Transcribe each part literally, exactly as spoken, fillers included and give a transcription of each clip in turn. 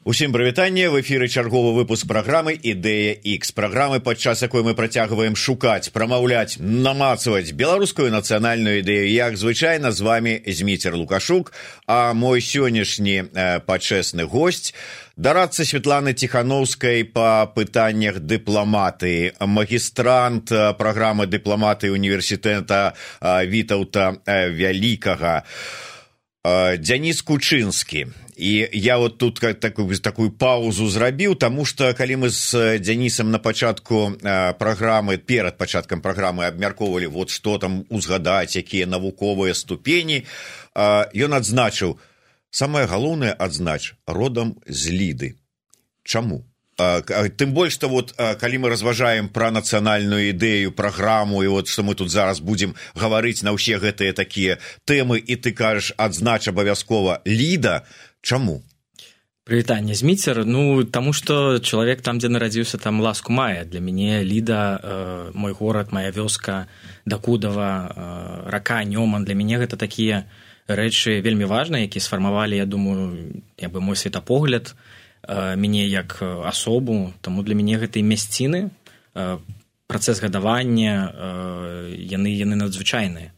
Усім прывітанне, в эфіры чарговы выпуск праграмы «Ідэя Х», праграмы, падчас якой мы працягваем шукаць, прамаўляць, намацаваць беларускую нацыянальную ідэю. Як звычайна, з вами Зміцер Лукашук, а мой сённяшні э, пачэсны госць дарадца Светланы Тихановскай па пытаннях дыпламатыі, магістрант праграмы дыпламатыі універсітэта э, Вітаўта э, Вялікага, э, Дзяніс Кучынскі. І я вот тут такую, такую паузу зрабіў, таму што калі мы з Дзянісам на пачатку э, праграмы, перад пачаткам праграмы абмяркоўвалі, вот што там узгадаць, якія навуковыя ступені, э, ён адзначыў, самае галоўнае адзнач, родам з Ліды. Чаму? Э, тым больш, што вот, э, калі мы разважаем пра нацыянальную ідэю, праграму, і вот што мы тут зараз будзем гаварыць на ўсе гэтыя такія тэмы, і ты кажаш, адзнач абавязкова Ліда. Чаму? Прывітанне, Зміцер. Ну, таму што чалавек там, дзе нарадзіўся, там ласку мае. Для мяне Ліда, э, мой горад, моя вёска, Дакудава, э, рака, Нёман, для мяне гэта такія рэчы вельмі важныя, якія сфармавалі, я думаю, як бы мой светапогляд, э, мяне як асобу. Таму для мяне гэтыя мясціны, э, працэс гадавання, э, яны, яны надзвычайныя.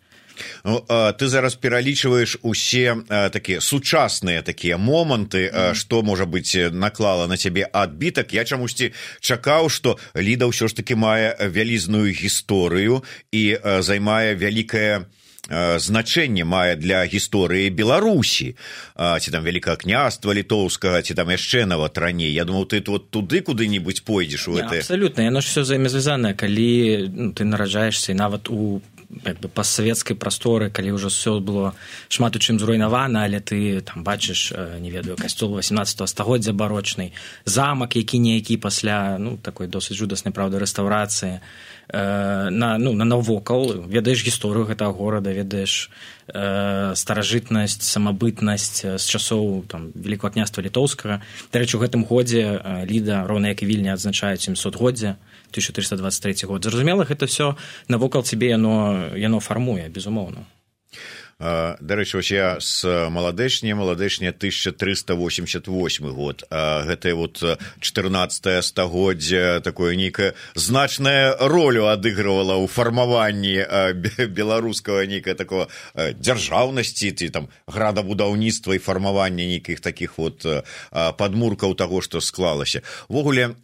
Ну, ты зараз пералічваеш усе такія сучасныя такія моманты, mm-hmm. што, можа быць, наклала на цябе адбітак. Я чамусьці чакаў, што Ліда ўсё ж такі мае вялізную гісторыю і займае вялікае значэнне, мае для гісторыі Беларусі. Ці там Вялікага княства літоўскага, ці там яшчэ нават раней. Я думаў, ты вот туды куды-небудзь пойдзеш у гэта. Абсалютна, яно ж усё взаемазвязанае, калі ну, ты нараджаешся і нават у як бы пастсавецкай прасторы, калі ўжо ўсё было шмат у чым зруйнавана, але ты там бачыш, не ведаю, касцёл васемнаццатага стагоддзя барочны, замак які-ніякі пасля, ну, такой досыць жудаснай, правда, рэстаўрацыі, э, на, ну, на навокал, ведаеш гісторыю гэтага горада, ведаеш э, старажытнасць, самабытнасць з часоў там Великага княства літоўскага. Дарэчы, у гэтым годзе Ліда, роўна як і Вільня, адзначаюць сямсотгоддзе, тысяча триста двадцать третий год. Зразумела, гэта все навокал цябе яно, яно фармуе, безумоўна. Дарэчы, вось я з маладэчня, маладэчня тысяча трыста восемьдесят восьмы год. Гэтае вот чатырнаццатае стагоддзе такое нейкае значная ролю адыгрывала ў фармаванні беларускага нейкая такого дзяржаўнасці, ці там градабудаўніцтва і фармавання нейкіх такіх вот падмуркаў таго, што склалася. Увогуле,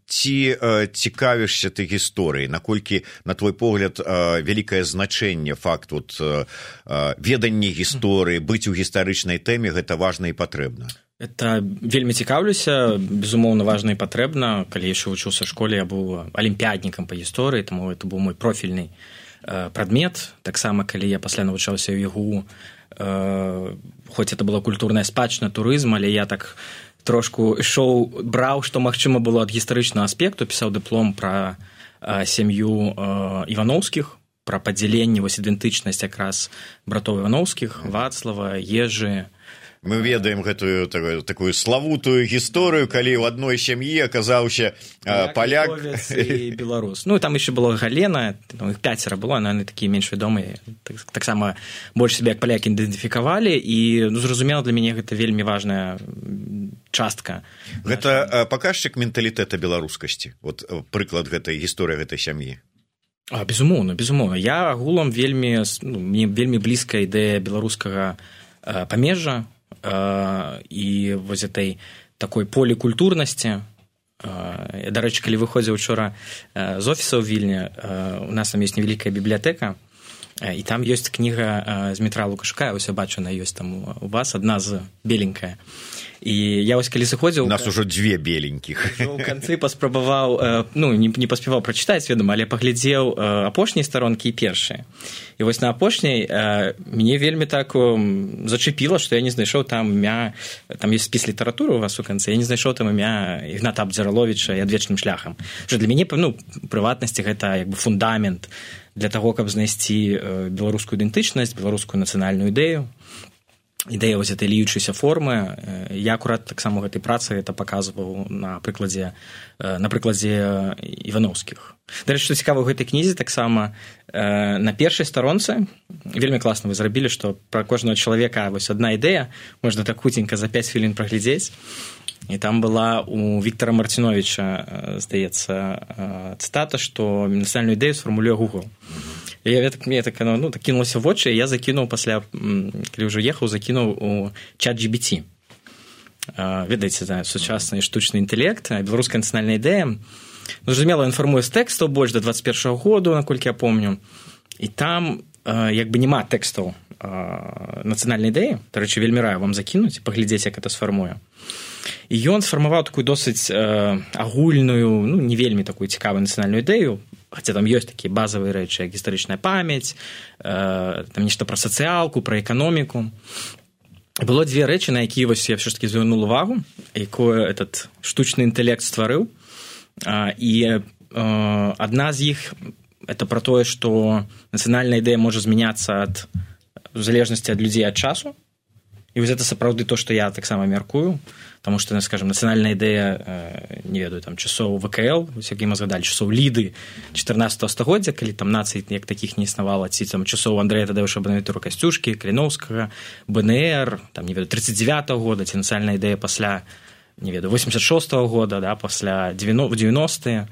ці цікавішся ты гісторыяй, наколькі, на твой погляд, вялікае значэнне факт вот веданне гісторыі, быць у гістарычнай тэме, гэта важна і патрэбна? Это вельмі цікаўлюся, безумоўна, важна і патрэбна. Калі яшчэ вучыўся ў школе, я быў алімпіяднікам па гісторыі, таму это быў мой профільны э, прадмет. Таксама, калі я пасля навучаўся ў ЕГУ, э, хоць это была культурная спадчына, турызм, але я так трошку ішоў, браў, што магчыма было ад гістарычнага аспекту, пісаў дыплом пра э, сям'ю э, Івановскіх, пра падзяленне, вось ідэнтычнасць якраз братоў Івановскіх, Вацлава, Ежы. Мы ведаем гэтую такую, такую славутую гісторыю, калі ў адной сям'і аказаўся а, паляк і беларус. Ну, і там яшчэ была Галена, там іх пяцера было, яны такія менш вядомыя. Так, таксама больш сябе як палякі ідэнтыфікавалі, і, ну, зразумела, для мяне гэта вельмі важная частка. Гэта а, паказчык менталітэта беларускасці, вот прыклад гэтай гісторыі гэтай сям'і. А, безумоўна, безумоўна. Я агулам вельмі, ну, мне вельмі блізкая ідэя беларускага э, памежжа э, і вось этой такой полікультурнасці. Э, дарэчы, калі выходзіў учора э, з офіса ў Вільні, э, у нас там ёсць невялікая бібліятэка, э, і там ёсць кніга э, Змітра Лукашука, ось я бачу, она ёсць там у вас, адна з беленькая. І я вось калі сыходзіў... У нас ужо дзве беленькіх. У канцы паспрабаваў, ну, не, не паспяваў прачытаць, ведома, але паглядзеў апошняй старонкі і першыя. І вось на апошняй мяне вельмі так зачепіла, што я не знайшоў там імя, там ёсць спіс літаратуры у вас у канцы, я не знайшоў там імя Ігната Абдзіраловіча і адвечным шляхам. Што для мяне, ну, прыватнасці гэта як бы фундамент для таго, каб знайсці беларускую ідэнтычнасць, беларускую нацыянальную ідэю. Ідэя вось этой ліючейся формы. Я акурат таксама гэтай працы это паказваў на прыкладзе, на прыкладзе Івановскіх. Дарэчы, што цікава ў гэтай кнізе, таксама на першай старонцы вельмі класна вы зрабілі, што пра кожнага чалавека вось адна ідэя, можна так хуценька за пяць хвілін праглядзець. і там была у Віктора Марціновіча, здаецца, цытата, што нацыянальную ідэю сфармулюе Google. І я так, мне так, ну, так кінулася в вочы, і я закінуў пасля, калі ўжо ехаў, закінуў у чат джі пі ті. Ведаеце, да, сучасны штучны інтэлект, беларуская нацыянальная ідэя. Ну, зразумела, інфармуе з тэкстаў больш да дваццаць першага году, наколькі я помню. І там як бы няма тэкстаў нацыянальнай ідэі, дарэчы, вельмі раю вам закінуць, паглядзець, як это сфармуе. І ён сфармаваў такую досыць агульную, ну, не вельмі такую цікавую нацыянальную ідэю, хаця там ёсць такія базавыя рэчы, як гістарычная памяць, там нешта пра сацыялку, пра эканоміку. Было дзве рэчы, на якія вось я ўсё ж такі звярнуў увагу, якое этот штучны інтэлект стварыў. І адна з іх это пра тое, што нацыянальная ідэя можа змяняцца ад в залежнасці ад людзей ад часу. І вось гэта сапраўды то, што я таксама мяркую, таму што, скажем, нацыянальная ідэя, не ведаю, там часоў вэ ка эл, вось як мы згадалі, часоў Ліды чатырнаццатага стагоддзя, калі там нацый як такіх не існавала, ці там часоў Андрэя Тадеуша Бонавентура Касцюшкі, Каліноўскага, бэ эн эр, там, не ведаю, тридцать девятого года, ці нацыянальная ідэя пасля, не ведаю, восемьдесят шестого года, да, пасля девяностые,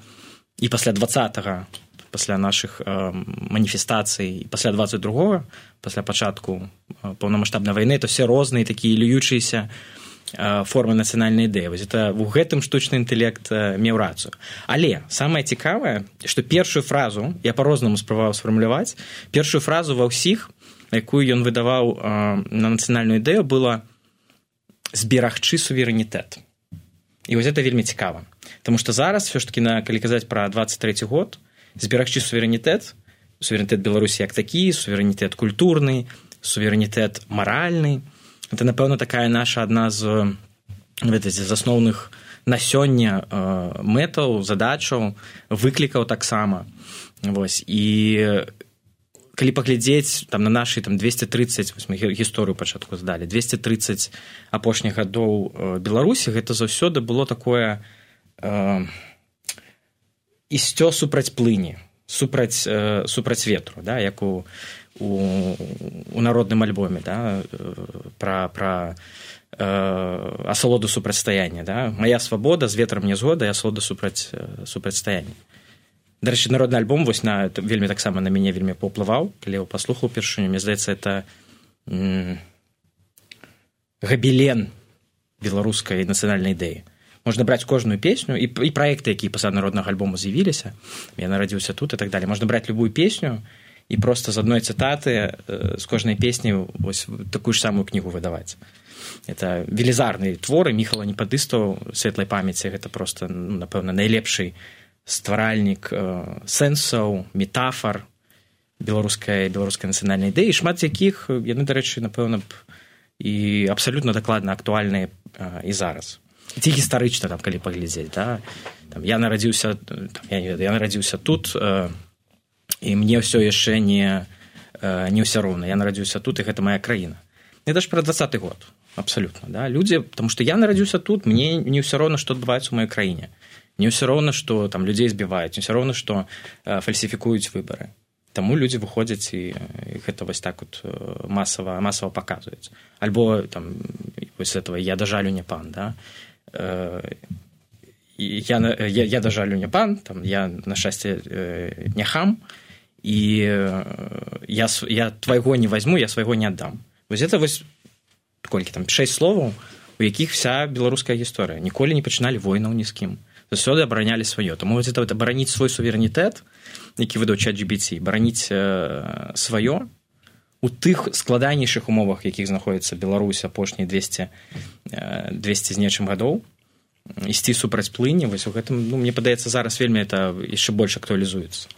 і пасля двадцатого, пасля нашых э, маніфестацый, пасля двадцать другого, пасля пачатку э, паўнамаштабнай вайны, то все розныя такія льючыся э, формы нацыянальнай ідэі. Вось это у гэтым штучны інтэлект э, меў рацыю. Але самае цікавае, што першую фразу, я па-рознаму спрабаваў сфармуляваць, першую фразу ва ўсіх, якую ён выдаваў э, на нацыянальную ідэю, была «зберагчы суверэнітэт». І вось это вельмі цікава. Таму што зараз, все ж таки, на, калі казаць пра двадцать трэці год, зберагчы суверэнітэт, суверэнітэт Беларусі як такі, суверэнітэт культурны, суверэнітэт маральны. Это, напэўна, такая наша адна з, ведаеце, з асноўных на сёння э, мэтаў, задачаў, выклікаў таксама. Вось. І калі паглядзець там, на нашы там, двести тридцать, вось мы гісторыю пачатку здалі, двести тридцать апошніх гадоў э, Беларусі, гэта заўсёды было такое... Э, ісцё супраць плыні, супраць, э, супраць ветру, да, як у, у, у народным альбоме, да, пра, пра э, асалоду супрацьстаяння. Да. Мая свабода, з ветрам не згода, і асалода супраць, супрацьстаяння. Дарэчы, народны альбом вось на, вельмі таксама на мяне вельмі паўплываў, калі я паслухаў першыню, мне здаецца, это м, габелен беларускай нацыянальнай ідэі. Можна браць кожную песню, і, і праекты, якія пасля народнага альбому з'явіліся, я нарадзіўся тут і так далее. Можна браць любую песню і проста з адной цытаты э, з кожнай песні вось такую ж самую кнігу выдаваць. Это велізарныя творы Міхала Непадыстаў, светлай памяці, гэта проста, ну, напэўна, найлепшы стваральнік э, сэнсаў, метафар беларускай, беларускай нацыянальнай ідэі, шмат якіх, яны, дарэчы, напэўна, і абсалютна дакладна актуальныя э, і зараз. Ці гістарычна, там, калі паглядзець, да? Там, я нарадзіўся, там, я, не ведаю, я нарадзіўся тут, э, і мне ўсё яшчэ не, э, не ўсё роўна. Я нарадзіўся тут, і гэта моя краіна. Гэта ж пра двадцаты год, абсалютна. Да? Людзі, таму што я нарадзіўся тут, мне не ўсё роўна, што адбываецца ў маёй краіне. Не ўсё роўна, што там людзей збіваюць, не ўсё роўна, што э, фальсіфікуюць выбары. Таму людзі выходзяць і, і гэта вось так от масава, масава паказваюць. Альбо там, вось этого «Я да жалю не пан», да? Я, я, я да жалю не пан, там, я, на шчасце, не хам, і я, я твайго не возьму, я свайго не аддам. Вось это вось, колькі там, шэсць словаў, у якіх вся беларуская гісторыя. Ніколі не пачыналі войнаў ні з кім. Заўсёды абаранялі сваё. Таму вось это, это бараніць свой суверэнітэт, які выдаў чат джі пі ті, бараніць э, сваё, у тых складанейшых умовах, якіх знаходзіцца Беларусь апошнія двести, двести з нечым гадоў, ісці супраць плыні, вось у гэтым, ну, мне падаецца, зараз вельмі это яшчэ больш актуалізуецца.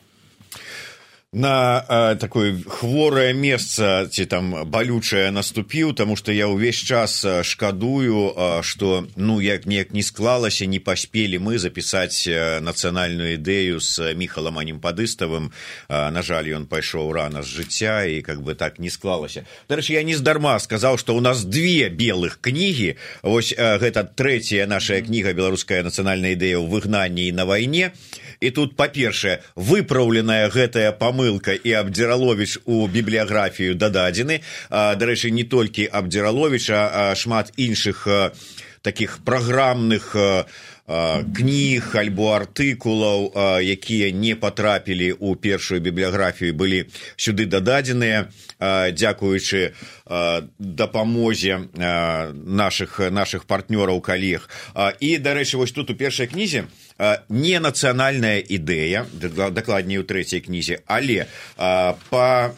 На э, такое хворае месца ці там балючае наступіў, таму што я ўвесь час шкадую, э, што ну як неяк не склалася, не паспелі мы запісаць нацыянальную ідэю з Міхалам Немпадыставым. Э, на жаль, ён пайшоў рана з жыцця і как бы так не склалася. Дарэчы, я не здарма сказаў, што ў нас две белых кнігі. Вось э, гэта трэцяя наша кніга «Беларуская нацыянальная ідэя ў выгнанні і на вайне». І тут, па-першае, выпраўленая гэтая памылка і Абдзіраловіч у бібліяграфію дададзены. Дарэчы, не толькі Абдзіраловіч, а шмат іншых таких праграмных кніг альбо артыкулаў, якія не патрапілі ў першую бібліяграфію, былі сюды дададзеныя дзякуючы дапамозе наших наших партнёраў, калег. І, дарэчы, вось тут у першай кнізе не нацыянальная ідэя, дакладней у трэцяй кнізе, але па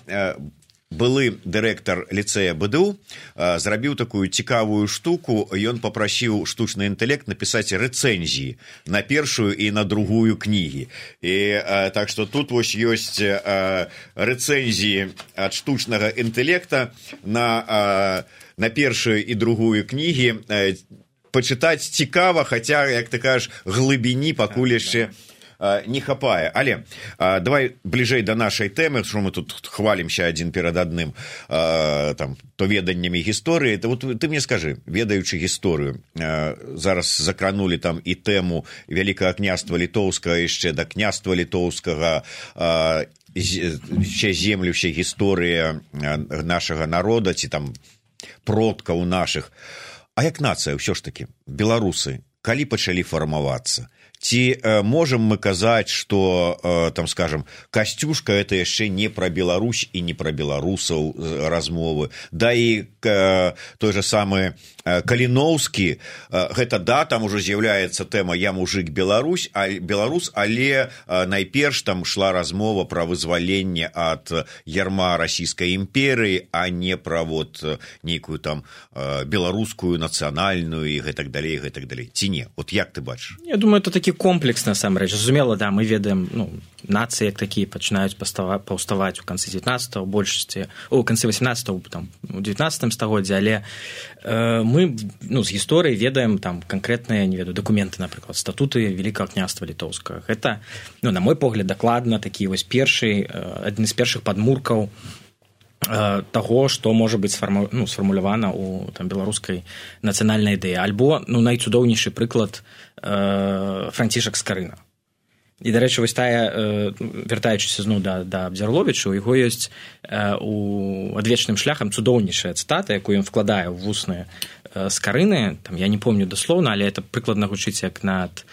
былы дырэктар ліцэя БДУ зрабіў такую цікавую штуку. Ён папрасіў штучны інтэлект напісаць рэцэнзіі на першую і на другую кнігі. І так што тут вось ёсць рэцэнзіі ад штучнага інтэлекта на, на першую і другую кнігі. Пачытаць цікава, хаця, як ты кажаш, глыбіні пакуль яшчэ не хапае. Але а, давай бліжэй да нашай тэмы, што мы тут хвалімся адзін перад адным, а, там, то веданнямі гісторыі. То, вот, ты мне скажы, ведаючы гісторыю, а, зараз закранулі там і тэму Вялікага княства літоўскага, яшчэ да княства літоўскага, а, ще землю, ще гісторыя нашага народа, ці там продкаў нашых. А як нацыя, ўсё ж такі, беларусы, калі пачалі фармавацца? Ці э, можам мы казаць, што, э, там, скажем, Касцюшка – это яшчэ не пра Беларусь і не пра беларусаў э, размовы. Да і э, той же самы э, Каліноўскі, э, гэта да, там ужо з'яўляецца тэма «Я мужик Беларусь», а, беларус, але э, найперш там шла размова пра вызваленне ад ярма расійскай імперыі, а не пра вот нейкую там э, беларускую нацыянальную і гэтак далей, гэтак далей. Ці не? Вот як ты бачыш? Я думаю, это такі комплекс, насамрэч. Зразумела, да, мы ведаем, ну, нацыі як такія пачынаюць паўставаць у канцы дзевятнаццатага, у большасці, у канцы васемнаццатага, там, у дзевятнаццатым стагоддзі, але э, мы, ну, з гісторыі ведаем там канкрэтныя, не ведаю, дакументы, напрыклад, статуты Вялікага княства літоўскага. Гэта, ну, на мой погляд, дакладна такі вось першы, адзін з першых падмуркаў таго, што можа быць сфарму, ну, сфармулявана ў там беларускай нацыянальнай ідэі. Альбо, ну, найцудоўнейшы прыклад э, Францішак Скарына. І, дарэчы, вось тая, э, вяртаючыся зноў да, да Абдзярловіча, у яго ёсць э, у адвечным шляхам цудоўнейшая цытата, якую ён вкладае ў вусныя э, Скарыны. Там, я не помню даслоўна, але это прыкладна гучыць як над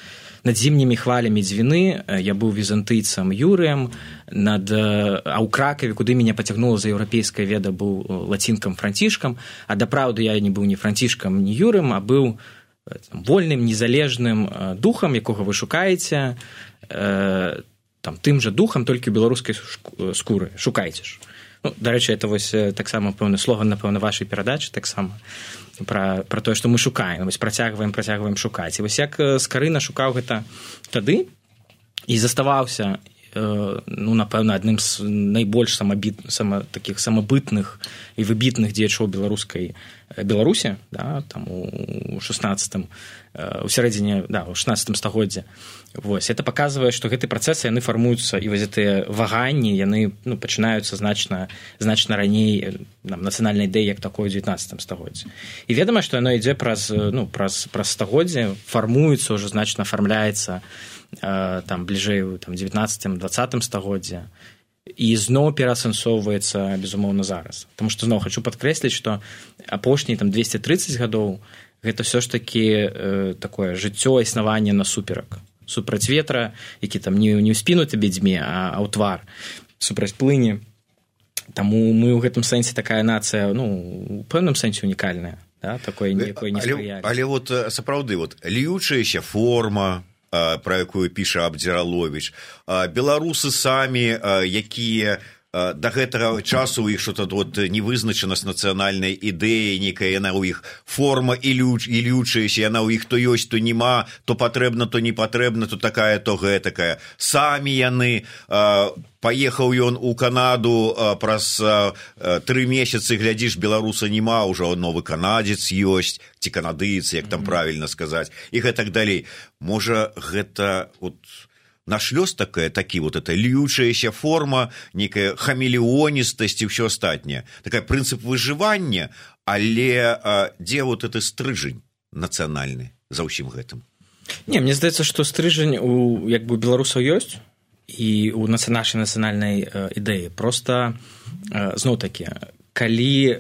над зімнімі хвалямі дзвіны, я быў візантыйцам Юрыем, над, а ў Кракаве, куды мяне пацягнула за еўрапейская веда, быў лацінкам Францішкам, а дапраўды я не быў ні Францішкам, ні Юрым, а быў там, вольным, незалежным духам, якога вы шукаеце, э, там, тым жа духам, толькі ў беларускай скуры. Шукайце ж. Ну, дарэчы, это вось таксама пэўны слоган, напэўна, вашай перадачы, таксама пра, пра тое, што мы шукаем, вось працягваем, працягваем шукаць. І вось як Скарына шукаў гэта тады і заставаўся, э, ну, напэўна, адным з найбольш самабіт, сама, такіх самабытных і выбітных дзеячоў беларускай Беларусі, да, там у шаснаццатым, у сярэдзіне, да, у шаснаццатым стагоддзі. Вось, это паказвае, што гэтыя працэсы, яны фармуюцца, і вось гэтыя ваганні, яны, ну, пачынаюцца значна, значна раней нам, нацыянальнай ідэі, як такое ў дзевятнаццатым стагоддзі. І ведама, што яно ідзе праз, ну, праз, праз стагоддзе, фармуецца, ўжо значна афармляецца э, там, бліжэй у дзевятнаццатым дваццатым стагоддзі. І зноў пераасэнсоўваецца, безумоўна, зараз. Таму што зноў хачу падкрэсліць, што апошнія там двесце трыццаць гадоў гэта ўсё ж такі э, такое жыццё, існаванне насуперак. Супраць ветра, які там не, не ў спіну табе дзьме, а, а ў твар, супраць плыні. Таму мы ў гэтым сэнсе такая нацыя, ну, у пэўным сэнсе унікальная, да? Такое некое неспрыяльнае. Але, але вот сапраўды, вот, льючаяся форма, про якую піша Абдзяраловіч, беларусы самі, якія да гэтага часу у іх что-то вот невызначанасць нацыянальнай ідэі, некая яна ў іх форма і лючаяся, яна ў іх то ёсць, то нема, то патрэбна, то не патрэбна, то такая, то гэтакая. Самі яны, паехаў ён у Канаду, праз тры месяцы, глядзіш, беларуса нема, ўжо новы канадзец ёсць, ці канадыец, як там правільна сказаць, і гэтак далей. Можа, гэта вот наш лёс такая, такі вот эта льючаяся форма, некая хамелеоністасць і ўсё астатняе. Такая прынцып выжывання, але а, дзе вот гэты стрыжань нацыянальны за ўсім гэтым? Не, мне здаецца, што стрыжань у як бы беларусаў ёсць і у нашай нацыянальнай э, ідэі. Проста, э, зноў-такі, калі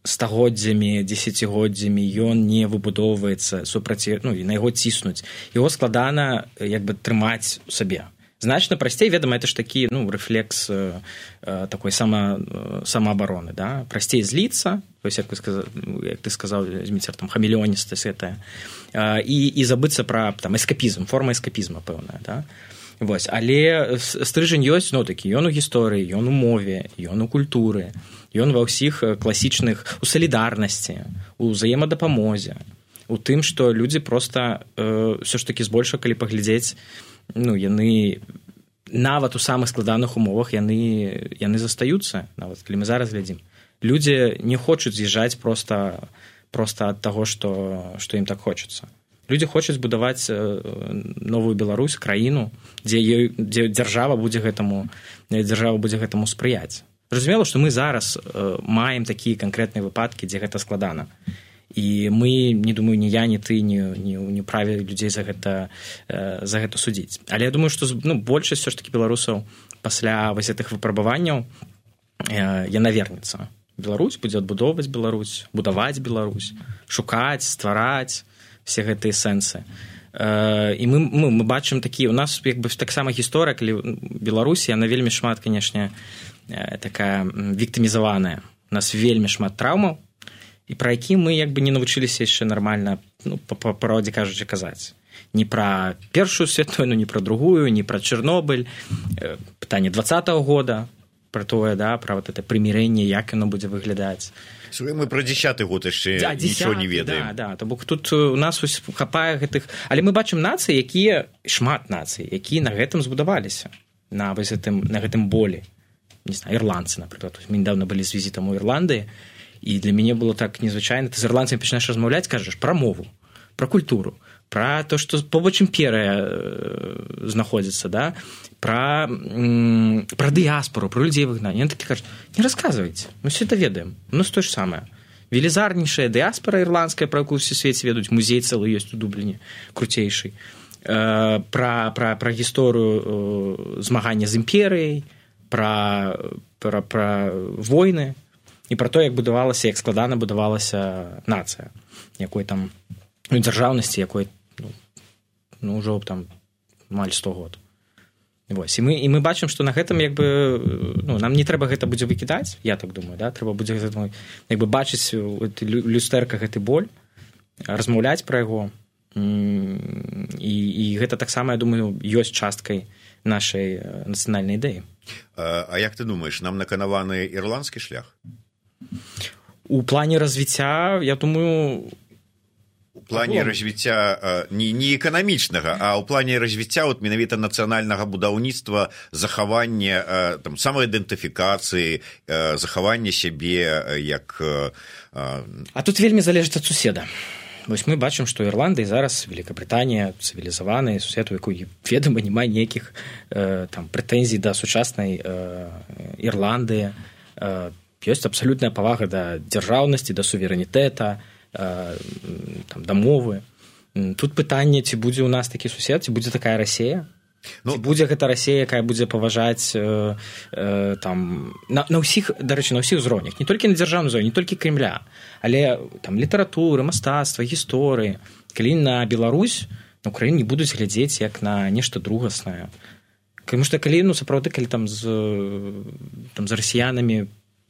стагоддзямі, дзесяцігоддзямі ён не выбудоўваецца супраць, ну, і на яго ціснуць. Яго складана як бы трымаць у сабе. Значна прасцей, ведама, это ж такі, ну, рэфлекс э, э, такой сама, э, самаабароны, да? Прасцей зліцца, то есть, як, сказал, як ты сказаў, Зміцер, там, хамелеоністасць гэтая, э, і, і забыцца пра там, эскапізм, форма эскапізма пэўная, да? Вось. Але стрыжань ёсць, ну, такі, ён у гісторыі, ён у мове, ён у культуры, ён ва ўсіх класічных, у салідарнасці, у ўзаемадапамозе, у тым, што людзі проста э, ўсё ж такі збольшага, калі паглядзець, ну, яны нават у самых складаных умовах яны, яны застаюцца, нават калі мы зараз глядзім. Людзі не хочуць з'язджаць проста, проста ад таго, што, што ім так хочацца. Людзі хочуць будаваць новую Беларусь, краіну, дзе, ёй, дзе дзяржава будзе гэтаму, дзяржава будзе гэтаму спрыяць. Зразумела, што мы зараз маем такія канкрэтныя выпадкі, дзе гэта складана. І мы, не думаю, ні я, ні ты не, не, не праві людзей за гэта, за гэта судзіць. Але я думаю, што ну, большасць все ж таки беларусаў пасля вось гэтых выпрабаванняў яна вернецца. Беларусь будзе адбудоўваць Беларусь, будаваць Беларусь, шукаць, ствараць все гэтыя сэнсы. І мы, мы, мы бачым такі, у нас як бы таксама гісторыя, калі Беларусь, яна вельмі шмат, канешне, такая віктымізаваная. У нас вельмі шмат траўмаў, і пра які мы як бы не навучыліся яшчэ нармальна, ну, па правдзе кажучы, казаць. Не пра першую светную, не пра другую, не пра Чэрнобыль, пытанне двадцатого года, пра тое, да, пра вот это прымірэнне, як яно будзе выглядаць. Мы пра дзесяты год яшчэ да, нічого не ведаем. Да, да, то бок тут у нас хапае гэтых... Але мы бачым нацыі, якія, шмат нацый, якія на гэтым збудаваліся, на, гэтым, на гэтым болі. Не знаю, ірландцы, напрыклад. Мы недавно былі з візітам у Ірландыі, і для мяне было так незвычайна. Ты з ірландцамі пачынаеш размаўляць, кажаш пра мову, пра культуру, пра то, што побач імперыя знаходзіцца, да? пра, пра дыяспору, пра людзей выгнання. Яны такі кажуць, не расказвайце, мы все это ведаем. У нас то ж самае. Велізарнейшая дыяспора ірландская, пра якую ўсе свеце ведаюць, музей цэлы ёсць у Дубліне, круцейшый. Пра, пра, пра гісторыю змагання з імперыяй, пра, пра, пра войны, і пра то, як будавалася, як складана будавалася нацыя, якой там, ну, дзяржаўнасці, якой, ну, ну ўжо там маль сто год. Вось. І мы, і мы бачым, што на гэтым, як бы, ну, нам не трэба гэта будзе выкідаць, я так думаю, да? Трэба будзе гэта, як бы, бачыць у люстэрка гэты боль, размаўляць пра яго, і, і гэта таксама, я думаю, ёсць часткай нашай нацыянальнай ідэі. А, а як ты думаеш, нам наканаваны ірландскі шлях? У плане развіцця, я думаю... У плане развіцця не, не эканамічнага, а ў плане развіцця вот, менавіта нацыянальнага будаўніцтва, захавання там, самаідэнтыфікацыі, захавання сябе як... А тут вельмі залежыць ад суседа. Вось мы бачым, што Ірландыя зараз, Великабрытанія, цывілізаваны сусед, у якой, ведама, няма ніякіх там, прэтэнзій да сучаснай Ірландыі. Ёсць абсалютная павага да дзяржаўнасці, да суверэнітэта, там, да мовы. Тут пытанне, ці будзе ў нас такі сусед, ці будзе такая Расія, ну, ці будзе гэта Расія, якая будзе паважаць э, э, там, на, на ўсіх, дарэчы, на ўсіх узроўнях, не толькі на дзяржаўнай узроўні, не толькі Кремля, але там літаратуры, мастацтва, гісторыі. Калі на Беларусь, на Украіну не будуць глядзець як на нешта другаснае. Таму што калі, ну, сапраўды, калі там з, там, з расіянамі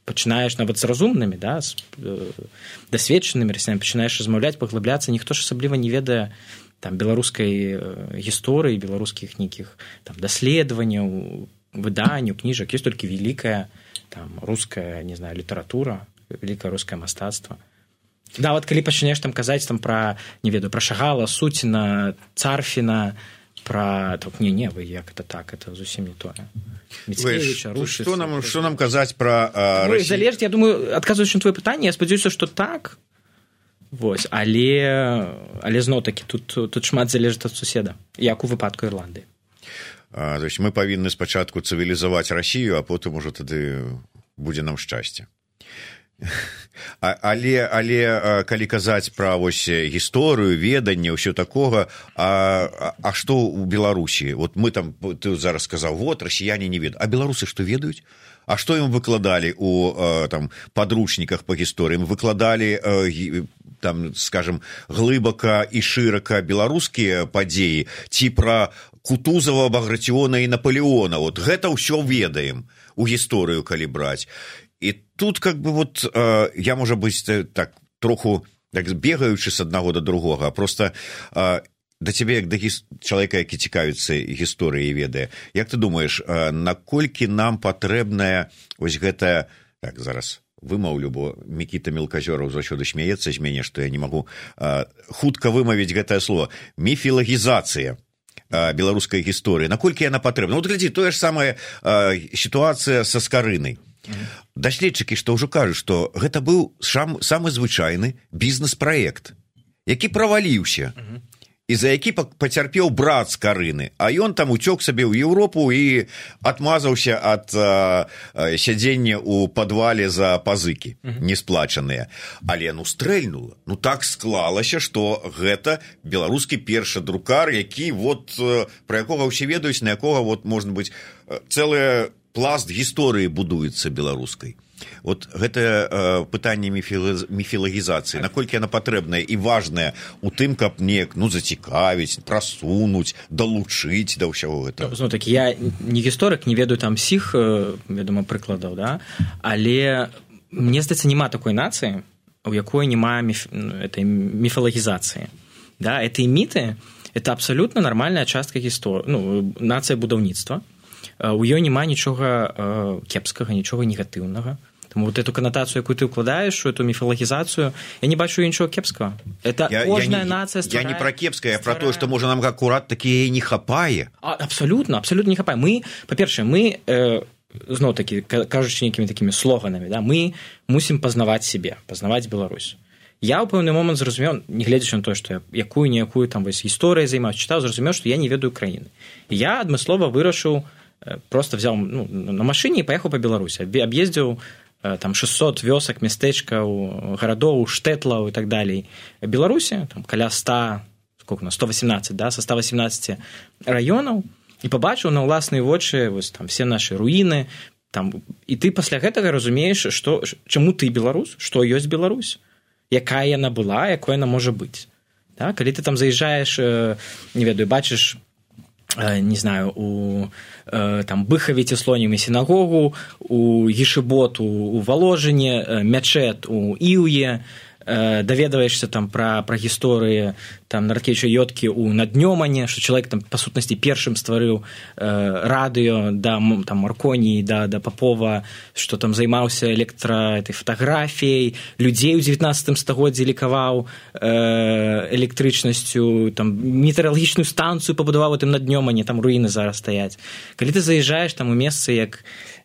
пачынаеш нават з разумнымі, да, з э, дасведчанымі расіянамі, пачынаеш размаўляць, паглыбляцца, ніхто ж асабліва не ведае там беларускай гісторыі, беларускіх нейкіх там даследаванняў, выданняў, кніжак. Ёсць толькі вялікая там руская, не знаю, літаратура, вялікае рускае мастацтва. Да, вот калі пачнеш там казаць там пра, не ведаю, пра Шагала, Суціна, Царфіна, пра... Так, не, не, вы як это так, это зусім не тое. Міцкевіча, Рушыц... Што нам, што нам казаць пра uh, Расію? Залежыць, я думаю, адказваючы на твоё пытанне, я спадзяюся, што так. Вось, але, але зноў-такі, тут, тут шмат залежыць ад суседа, як у выпадку Ірландыі. А, то есть мы павінны спачатку цывілізаваць Расію, а потым ужо тады будзе нам шчасце. але але калі казаць пра вось гісторыю, веданне, ўсё такога, а, а што ў Беларусі? Вот мы там, ты зараз сказаў, вот расіяне не ведаюць, а беларусы што ведаюць? А што ім выкладалі у там падручніках па гісторыі? Ім выкладалі там, скажем, глыбака і шырака беларускія падзеі ці пра Кутузова, Багратиона і Наполеона? Вот гэта ўсё ведаем у гісторыю, калі браць. І тут как бы вот э, я, можа быць, так троху так, бегаючы з аднаго да другога, а просто э, да цябе, як да гіс... чалавека, які цікавіцца гісторыяй і ведае, як ты думаеш, э, наколькі нам патрэбная вось гэтая, так, зараз вымаўлю, бо Мікіта Мелказёраў заўсёды смяецца з мяне, што я не магу э, хутка вымавіць гэтае слово, міфілагізацыя беларускай гісторыі, наколькі яна патрэбна? Вот глядзі, тое ж самая э, сітуацыя са Скарынай. Даследчыкі, што ўжо кажуць, што гэта быў сам, самы звычайны бізнес-праект, які праваліўся, uh-huh. і за які пацярпеў брат Скарыны, а ён там уцёк сабе ў Еўропу і адмазаўся ад а, а, сядзення ў падвале за пазыкі uh-huh. несплачаныя. Але ну стрэльнула. Ну так склалася, што гэта беларускі першы друкар, які вот пра якога ўсе ведаюць, на якога вот можна быць цэлая пласт гісторыі будуецца беларускай. Вот гэтае э, пытанне міфілагізацыі, наколькі яна патрэбная і важная у тым, каб неяк ну, зацікавіць, прасунуць, далучыць да ўсяго гэтага. Ну, так, я не гісторык, не ведаю там сіх, вядома, прыкладаў, да? Але мне здаецца, няма такой нацыі, у якой няма міф... этой міфалагізацыі. Да? Эти міты – это абсолютно нормальная частка гісторыі, ну, нацыя будаўніцтва. У ёй няма нічога кепскага, нічога негатыўнага. Тому вот эту канатацию, якую ты укладаешь, эту мифологизацию, я не бачу ничего кепского. Это я, каждая я не, нация стварает... Я не про кепское, я про то, что, может, нам аккурат такие не хапае. А, абсолютно, абсолютно не хапае. Мы, по-перше, мы, э, знову таки, кажучи некими такими слоганами, да, мы мусим познавать себе, познавать Беларусь. Я ў пэўны момант зразумеў, не гледзячы на тое, што я якую-ніякую там вось гісторыю займаюся, чытаў, зразумеў, што я не ведаю краіны. І я адмыслова вырашыў, просто взял ну, на машине и поехал по Беларуси. Объездил там шестьсот вёсок, местечкаў, городов, штэтлаў и так далее. В Беларуси, там, каля сто, сколько у нас, сто восемнадцать, да, со ста восемнадцати районаў, и побачил на ўласныя вочы вось, там, все наши руины. Там, и ты пасля гэтага разумееш, што, чаму ты беларус, што ёсць Беларусь, якая яна была, якой яна можа быць. Да? Калі ты там заезжаешь, не ведаю, бачыш, не знаю, у там, Быхаве ці Слонімі сінагогу, у Гішыботу, у Валожыне, мячэт у Іўе, даведваешься там пра, пра гісторыі там Нараткевіча Йодкі у Наднёмане, што чалавек там па сутнасці першым стварыў э, радыё да там Марконі, да, да Папова, што там займаўся электра этой фатаграфіяй, людзей у дзевятнаццатым стагоддзі лікаваў э, электрычнасцю, там метэаралагічную станцыю пабудаваў у тым Наднёмане, там руіны зараз стаяць. Калі ты заязджаеш там у месцы як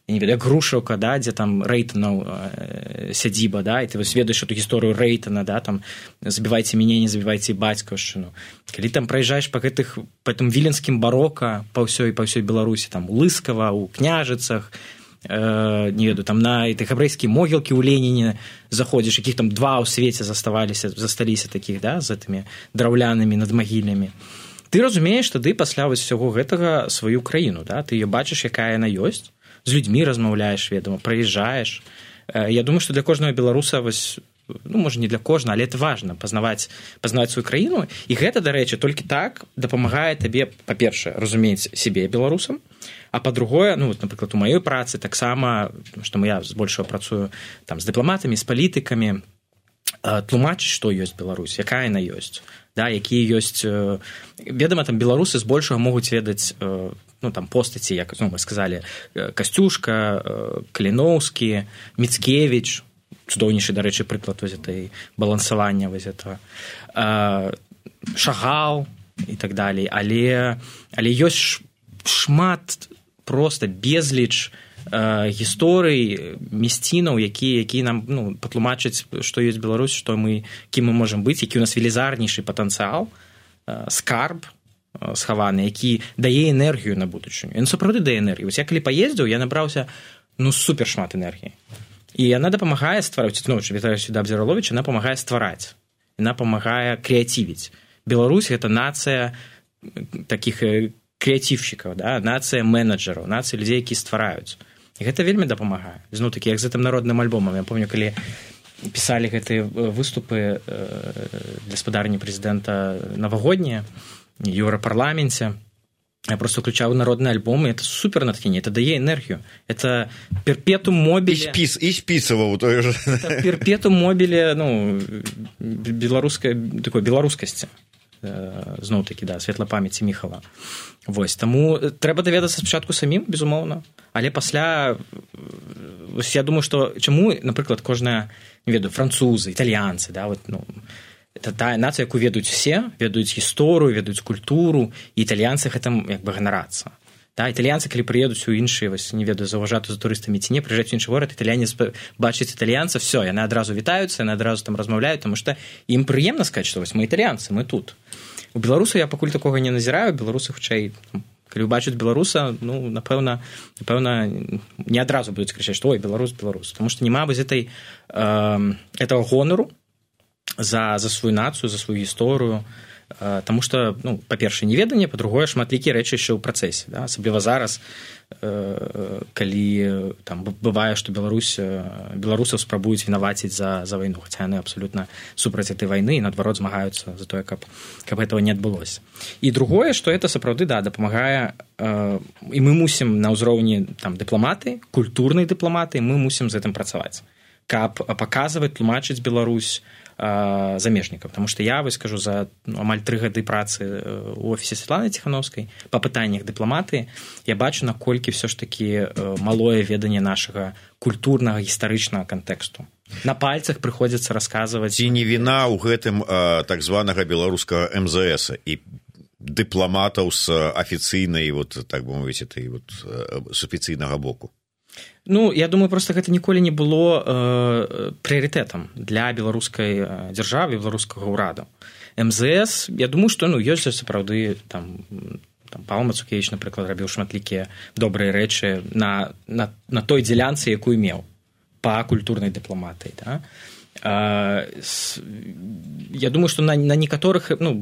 я не ведаю, як Грушаўка, да, дзе там Рэйтанаў э, сядзіба, да, і ты вось ведаеш эту гісторыю Рэйтана, да, там забівайце мяне, не забівайце бацькаўшчыну. Калі там праязджаеш па гэтых па гэтым віленскім барока па ўсёй па ўсёй Беларусі, там у Лыскава, у Княжыцах, э, не ведаю, там на этой габрэйскія могілкі ў Леніне заходзіш, якіх там два ў свеце заставаліся, засталіся такіх, да, з гэтымі драўлянымі надмагіллямі. Ты разумееш тады пасля вось усяго гэтага сваю краіну, да, ты её бачыш, якая яна ёсць. З людзьмі размаўляеш, ведома, праязджаеш. Я думаю, што для кожнага беларуса, вось, ну, можа, не для кожнага, але это важна, пазнаваць, пазнаваць сваю краіну. І гэта, дарэчы, толькі так дапамагае табе, па-першае, разумець сябе беларусам, а па-другое, ну, вот, напрыклад, у маёй працы таксама, што я збольшага працую там з дыпламатамі, з палітыкамі, тлумачыць, што ёсць Беларусь, якая яна ёсць, да, якія ёсць... Ведама, там беларусы збольшага могуць ведаць ну, там, постаці, як ну, мы сказалі, Касцюшка, Каліноўскі, Міцкевіч, цудоўнейшы, дарэчы, прыклад вось этой балансавання вось этого, Шагал і так далей, але, але ёсць шмат проста безліч гісторый, мясцінаў, якія, якія нам ну, патлумачаць, што ёсць Беларусь, што мы, кім мы можам быць, які ў нас велізарнейшы патэнцыял, скарб, схаваны, які дае энергію на будучыню. Ён сапраўды дае энергію. Вось я калі паездзіў, я набраўся ну супер шмат энергіі. і яна дапамагае ствараць, ну, вітаюся да Абдзіраловіча, яна памагае ствараць, яна памагае крэатывіць. Беларусь – гэта нацыя такіх крэатыўшчыкаў, да? Нацыя менеджераў, нацыя людзей, якія ствараюць. І гэта вельмі дапамагае. Зноў такі, як з гэтым народным альбомам. Я помню, калі пісалі гэтыя выступы для спадарні прэзідэнта навагоднія в Еўрапарламенце, я просто включаю народный альбом, и это супер натхнение, это дае энергию. Это перпетум мобиле... И, спис, и списывал той же. Это перпетум мобиле, ну, белорусской, такой белорускасці. Зноў такі, да, светла памяці Міхала. Вось, таму трэба даведацца спачатку самім, безумоўна, але пасля, я думаю, што чаму, напрыклад, кожная, не ведаю, французы, італьянцы, да, вот, ну, это тая нацыя, якую ведаюць усе, ведаюць гісторыю, ведаюць культуру, і італьянцы гэтым як бы ганарацца. Да, італьянцы, калі прыедуць у іншыя, вось, не ведаю, заўважаць за турыстамі ці не, прыязджаць у іншы горад, італьянец бачыць італьянца, все, яны адразу вітаюцца, яны адразу там размаўляюць, таму што ім прыемна сказаць, што вось мы італьянцы, мы тут. У беларусаў я пакуль такога не назіраю, беларусы хутчэй, калі ўбачаць беларуса, ну, напэўна, напэўна, не адразу будуць крычаць, што ой, беларус, беларус, таму што няма вось этой, э, этого гонору за, за сваю нацыю, за сваю гісторыю, Таму што, ну, па-першае, неведанне, па-другое, шматлікія рэчы яшчэ ў працэсе. Да? Асабліва зараз, э, калі там, бывае, што Беларусь, беларусаў спрабуюць вінаваціць за, за вайну, хаця яны абсалютна супраць этой вайны і, наадварот, змагаюцца за тое, каб, каб этого не адбылося. І другое, што это сапраўды, да, дапамагае, э, і мы мусім на ўзроўні там, дыпламаты, культурнай дыпламаты, мы мусім з гэтым працаваць, каб паказваць, тлумачыць Беларусь замежнікаў, потому што я вось скажу за ну, амаль тры гады працы ў офісе Святланы Ціханаўскай па пытаннях дыпламатыі, я бачу, наколькі все ж такі малое веданне нашага культурнага гістарычнага кантэксту. На пальцах прыходзіцца расказваць. Ці не віна ў гэтым а, так званага беларускага эм зэ эса і дыпламатаў з афіцыйнай, вот, так бы мовіць, этой вот, з афіцыйнага боку? Ну, я думаю, просто гэта ніколі не было э, прыярытэтам для беларускай дзяржавы, беларускага ўрада. эм зэ эс, я думаю, што ну, ёсць сапраўды там, там Павел Мацукевіч, напрыклад, рабіў шматлікія добрыя рэчы на, на, на той дзялянцы, якую меў па культурнай дыпламатыі. Да? А, с, я думаю, што на, на некаторых ну,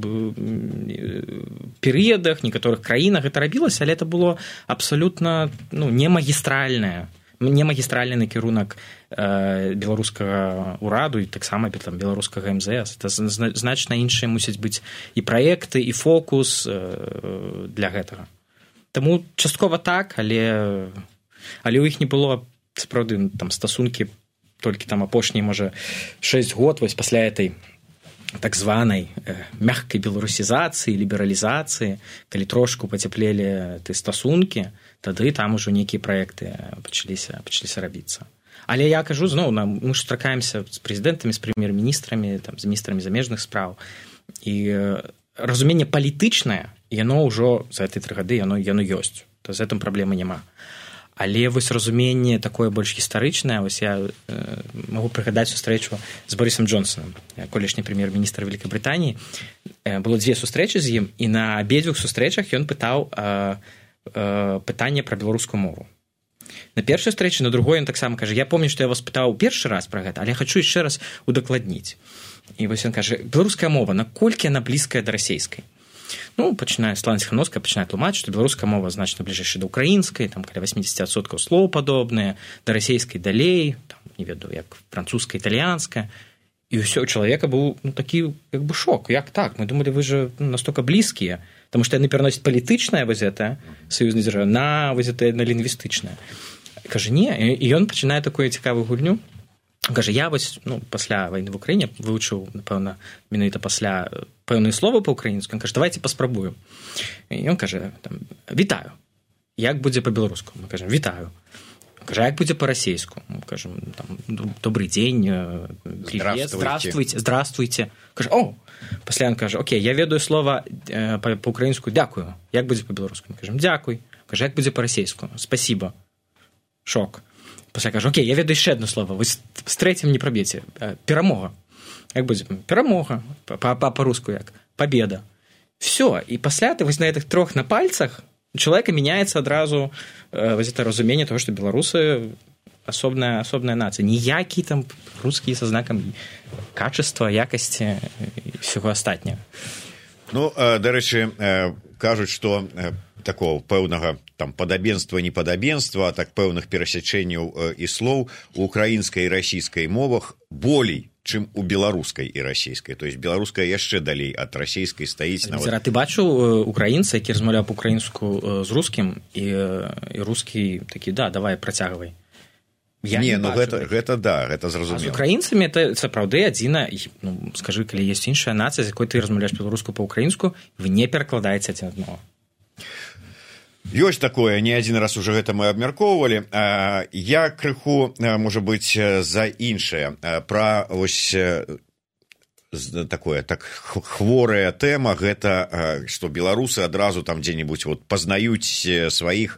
перыядах, некаторых краінах гэта рабілася, але это было абсалютна ну, не магістральнае, не магістральны накірунак э, беларускага ўраду і таксама там, беларускага эм зэ эс. Это значна іншыя мусяць быць і праекты, і фокус э, для гэтага. Таму часткова так, але, але ў іх не было сапраўды там стасункі толькі там апошнія, можа, шэсць год вось пасля этой так званай э, мягкай беларусізацыі, лібералізацыі, калі трошку пацяплелі ты стасункі, тады там ужо нейкія праекты пачаліся, пачаліся рабіцца. Але я кажу, зноў, мы ж сустракаемся з прэзідэнтамі, з прэм'ер-міністрамі, там, з міністрамі замежных спраў, і э, разуменне палітычнае, яно ўжо за гэтыя тры гады яно, яно ёсць, то з гэтым праблемы няма. Але вось разуменне такое больш гістарычнае, вось я э, магу прыгадаць сустрэчу з Борисом Джонсонам, колішні прэм'ер-міністр Вялікай Брытаніі. Э, было дзве сустрэчы з ім, і на абедзвюх сустрэчах ён пытаў э, э, пытанне пра беларускую мову. На першай сустрэчы, на другой ён таксама кажа, я помню, што я вас пытаў першы раз пра гэта, але хочу яшчэ раз удакладніць. І вось ён кажа, беларуская мова, наколькі яна блізкая да расейскай? Ну, пачынае Святлана Ціханаўская пачынае тлумачыць, што беларуская мова значна бліжэйшая да ўкраінскай, там каля восемьдесят адсоткаў слоў падобныя, да расейскай далей, там, не ведаю, як французская, італьянская. І ўсё, у чалавека быў ну, такі як бы шок. Як так? Мы думалі, вы же ну, настолько блізкія, таму што яны пераносяць палітычнае вось гэта саюзнай дзяржавы на вось гэта на лінгвістычнае. Кажа, не, і ён пачынае такую цікавую гульню. Кажа, я вось, ну, пасля вайны в Украіне вывучыў, напэўна, менавіта пасля пэўныя словы па-украінску. Ён кажа, давайте паспрабуем. І ён кажа, там, вітаю. Як будзе па-беларуску? Мы кажам, вітаю. Кажа, як будзе па-расейску? Мы кажам, там, добрый дзень, привет, здравствуйте, здравствуйте. Кажа, о, пасля ён кажа, окей, я ведаю слова па-украінску, дякую. Як будзе па-беларуску? Мы кажам, дзякуй. Кажа, як будзе па-расейску? Спасибо. Шок. Пасля кажа, окей, я ведаю яшчэ одно слово, вы з трэцім не праб'еце. Перамога. Як будзе? Перамога. Па-руску як? Победа. Все. І пасля ты вось на гэтых трох на пальцах у чалавека мяняецца адразу вось это разуменне того, што беларусы асобная асобная нацыя, ніякі там рускі са знакам качества, якасці і ўсяго астатняга. Ну, дарэчы, кажуць, што такого пэўнага там падабенства, непадабенства, так пэўных перасячэнняў і слоў у украінскай і расійскай мовах болей, чым у беларускай і расійскай. То есть беларуская яшчэ далей ад расійскай стаіць. Нават... Ты бачыў украінца, які размаўляў па-украінску з рускім, і, і рускі такі, да, давай, працягвай. Я не, не ну гэта, гэта да, гэта зразумела. А з украінцамі это сапраўды адзіна, ну, скажы, калі ёсць іншая нацыя, з якой ты размаўляеш беларуску па-украінску, вы не перакладаеце адзін аднаго. Ёсць такое, не адзін раз уже гэта мы абмяркоўвалі. Я крыху, можа быць, за іншае. Пра вось такое, так хворая тэма, гэта, што беларусы адразу там дзе-небудзь вот пазнаюць сваіх.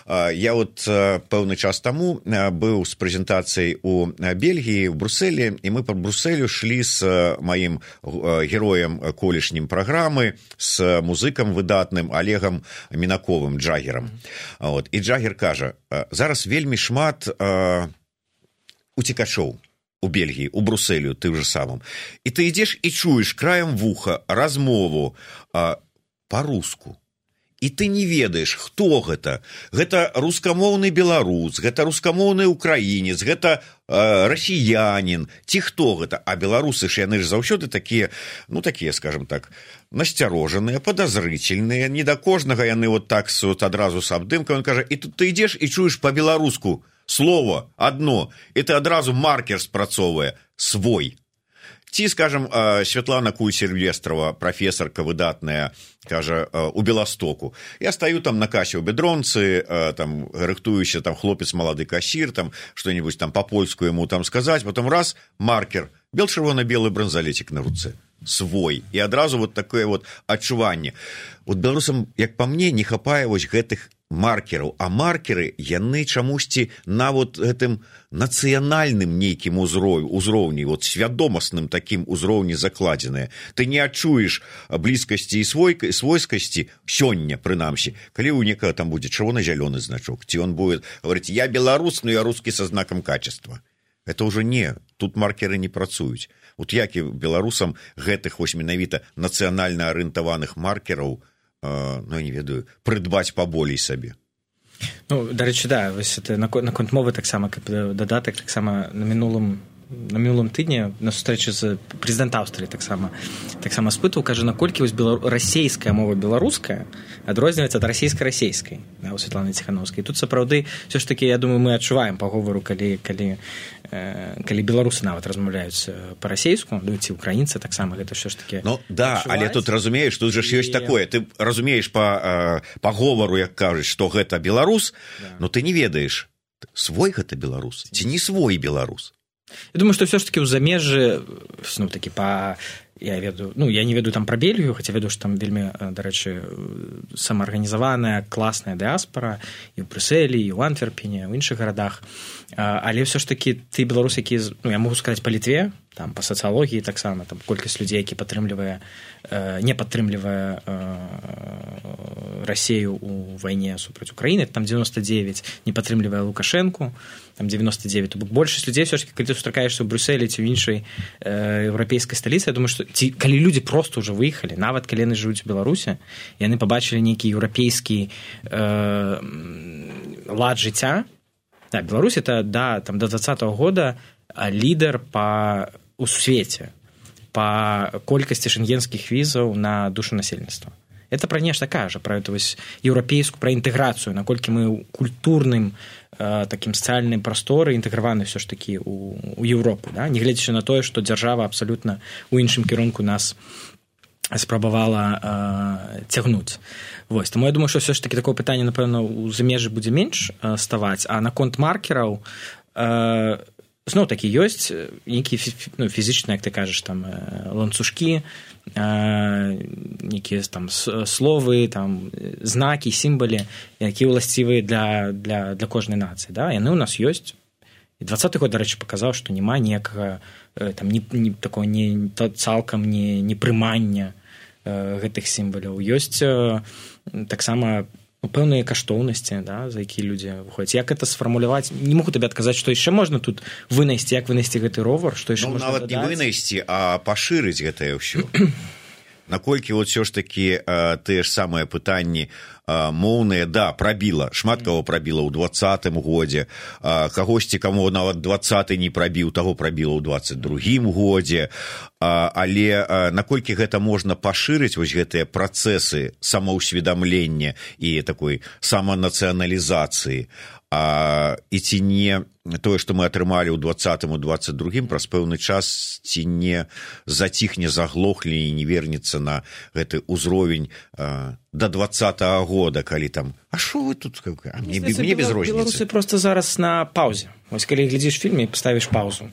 Я вот пэўны час таму быў з прэзентацыяй у Бельгіі, у Брусэлі, і мы па Брусэлю шлі з маім героем колішнім праграмы, з музыкам выдатным Олегам Мінаковым, джагерам. Вот. І джагер кажа, зараз вельмі шмат уцекачоў у Бельгіі, у Брусэлю, ты ж самым. І ты ідзеш і чуеш краем вуха размову па-руску. І ты не ведаеш, хто гэта. Гэта рускамоўны беларус, гэта рускамоўны украінец, гэта э, расіянін, ці хто гэта. А беларусы ж яны ж заўсёды такія, ну такія, скажем так, насцярожаныя, падазрычельныя, не да кожнага яны вот так вот адразу с абдымкам. Он кажа, і тут ты ідзеш і чуеш па-беларуску слово адно, і ты адразу маркер спрацоўвае свой. Ці, скажем, Святлана Куй-Сільвестрова, прафесарка выдатная, кажа, у Беластоку. Я стаю там на касе ў бедронцы, там, рыхтуюся, там, хлопец малады кассір, там, што-нибудь там по-польску ему там сказаць, потом раз, маркер, бел-чырвона-белы бранзалетик на руцэ. Свой. І адразу вот такое вот адчуванне. Вот беларусам, як па мне, не хапае вось гэтых маркераў, а маркеры яны чамусьці на вот гэтым нацыянальным нейкім узроўні, вот свядомасным такім узроўні закладзеныя. Ты не адчуеш блізкасці і свойскасці сёння, прынамсі, калі ў некага там будзе чырвона-зялёны значок, ці он будет говорить, я беларус, но я русский со знаком качества. Это уже не, тут маркеры не працуюць. Вот як і беларусам гэтых вось менавіта нацыянальна арыентаваных маркераў, ну, я не ведаю, прыдбаць паболей сабе. Ну, дарэчы, да, вось это наконт мовы таксама, каб дадатак, таксама на мінулым на мінулым тыдні на сустрэчы з прэзідэнт Аўстрыі таксама таксама спытаў, кажа, наколькі вось белару... расейская мова беларуская адрозніваецца ад расійска-расейскай, да, у Святланы Ціхановскай. Тут сапраўды ўсё ж такі, я думаю, мы адчуваем па говору, калі калі э, калі беларусы нават размаўляюць па-расейску, ну, ці украінцы таксама гэта ўсё ж такі. Ну да, адчуваць. Але тут разумееш, тут жа ж ёсць і... такое, ты разумееш па э, па говору, як кажуць, што гэта беларус, да. Но ты не ведаеш, свой гэта беларус ці не свой беларус. Я думаю, што ўсё ж такі ў замежжы, ну, такі па... Я ведаю, ну, я не ведаю там пра Бельгію, хаця ведаю, што там вельмі, дарэчы, самаарганізаваная, класная дыаспара і ў Брюсселі, і ў Антверпене, ў іншых гарадах. Але ўсё ж такі ты беларус, які, ну, я могу сказаць, па Літве, там, па сацыялогіі таксама, там, колькасць людзей, які падтрымлівае, не падтрымлівае Расею ў вайне супраць Украіны, там девяносто девять, не падтрымлівае Лукашэнку, там девяносто девять. То бок большасць людзей ўсё ж такі, калі ты сустракаешся ў Брюсселі ці ў іншай э, еўрапейскай сталіцы, я думаю, што ці, калі людзі проста ўжо выехалі, нават калі яны жывуць у Беларусі, яны пабачылі нейкі еўрапейскі э, лад жыцця. Да, Беларусь это, да, там до двадцатого года лідар па у свеце па колькасці шенгенскіх візаў на душу насельніцтва. Это пра нешта кажа, пра эту вось еўрапейскую, пра інтэграцыю, наколькі мы ў культурным э, такім сацыяльным прасторы інтэграваны ўсё ж такі у, у Еўропу, да? Не гледзячы на тое, што дзяржава абсалютна ў іншым кірунку нас спрабавала э, цягнуць. Вось. Таму я думаю, што ўсё ж такі такое пытанне, напэўна, у замежжы будзе менш э, ставаць, а наконт маркераў э, зноў такі ёсць нейкія ну, фізічныя, як ты кажаш, там ланцужкі, нейкія там словы, там знакі, сімвалы, якія ўласцівыя для, для, для кожнай нацыі. Да? Яны ў нас ёсць. І двадцаты год, дарэчы, паказаў, што няма ніякага там не, не такого не цалкам не, не прымання гэтых сімваляў. Ёсць таксама пэўныя каштоўнасці, да, за якія людзі выходзяць. Як это сфармуляваць? Не могу табе адказаць, што яшчэ можна тут вынайсці, як вынайсці гэты ровар, што яшчэ ну, можна нават дадаць? Не вынайсці, а пашырыць гэтае ўсё. Наколькі вот все ж таки э, тыя ж самыя пытанні э, моўныя, да, прабіла, шмат каго прабіла ў двадцатым годзе, э, кагосьці, каму нават двадцаты не прабіў, таго прабіла ў дваццаць другім годзе, э, але э, наколькі гэта можна пашырыць, вось гэтыя працэсы самаўсведамлення і такой саманацыяналізацыі, а, і ці не тое, што мы атрымалі ў двадцатым, у дваццаць другім, праз пэўны час ці не заціхне, заглохлі і не вернецца на гэты ўзровень а, да двадцатага года, калі там, а што вы тут? А мне, мне без розніцы. Беларусы просто зараз на паўзе. Вось калі глядзіш фільм і паставіш паўзу.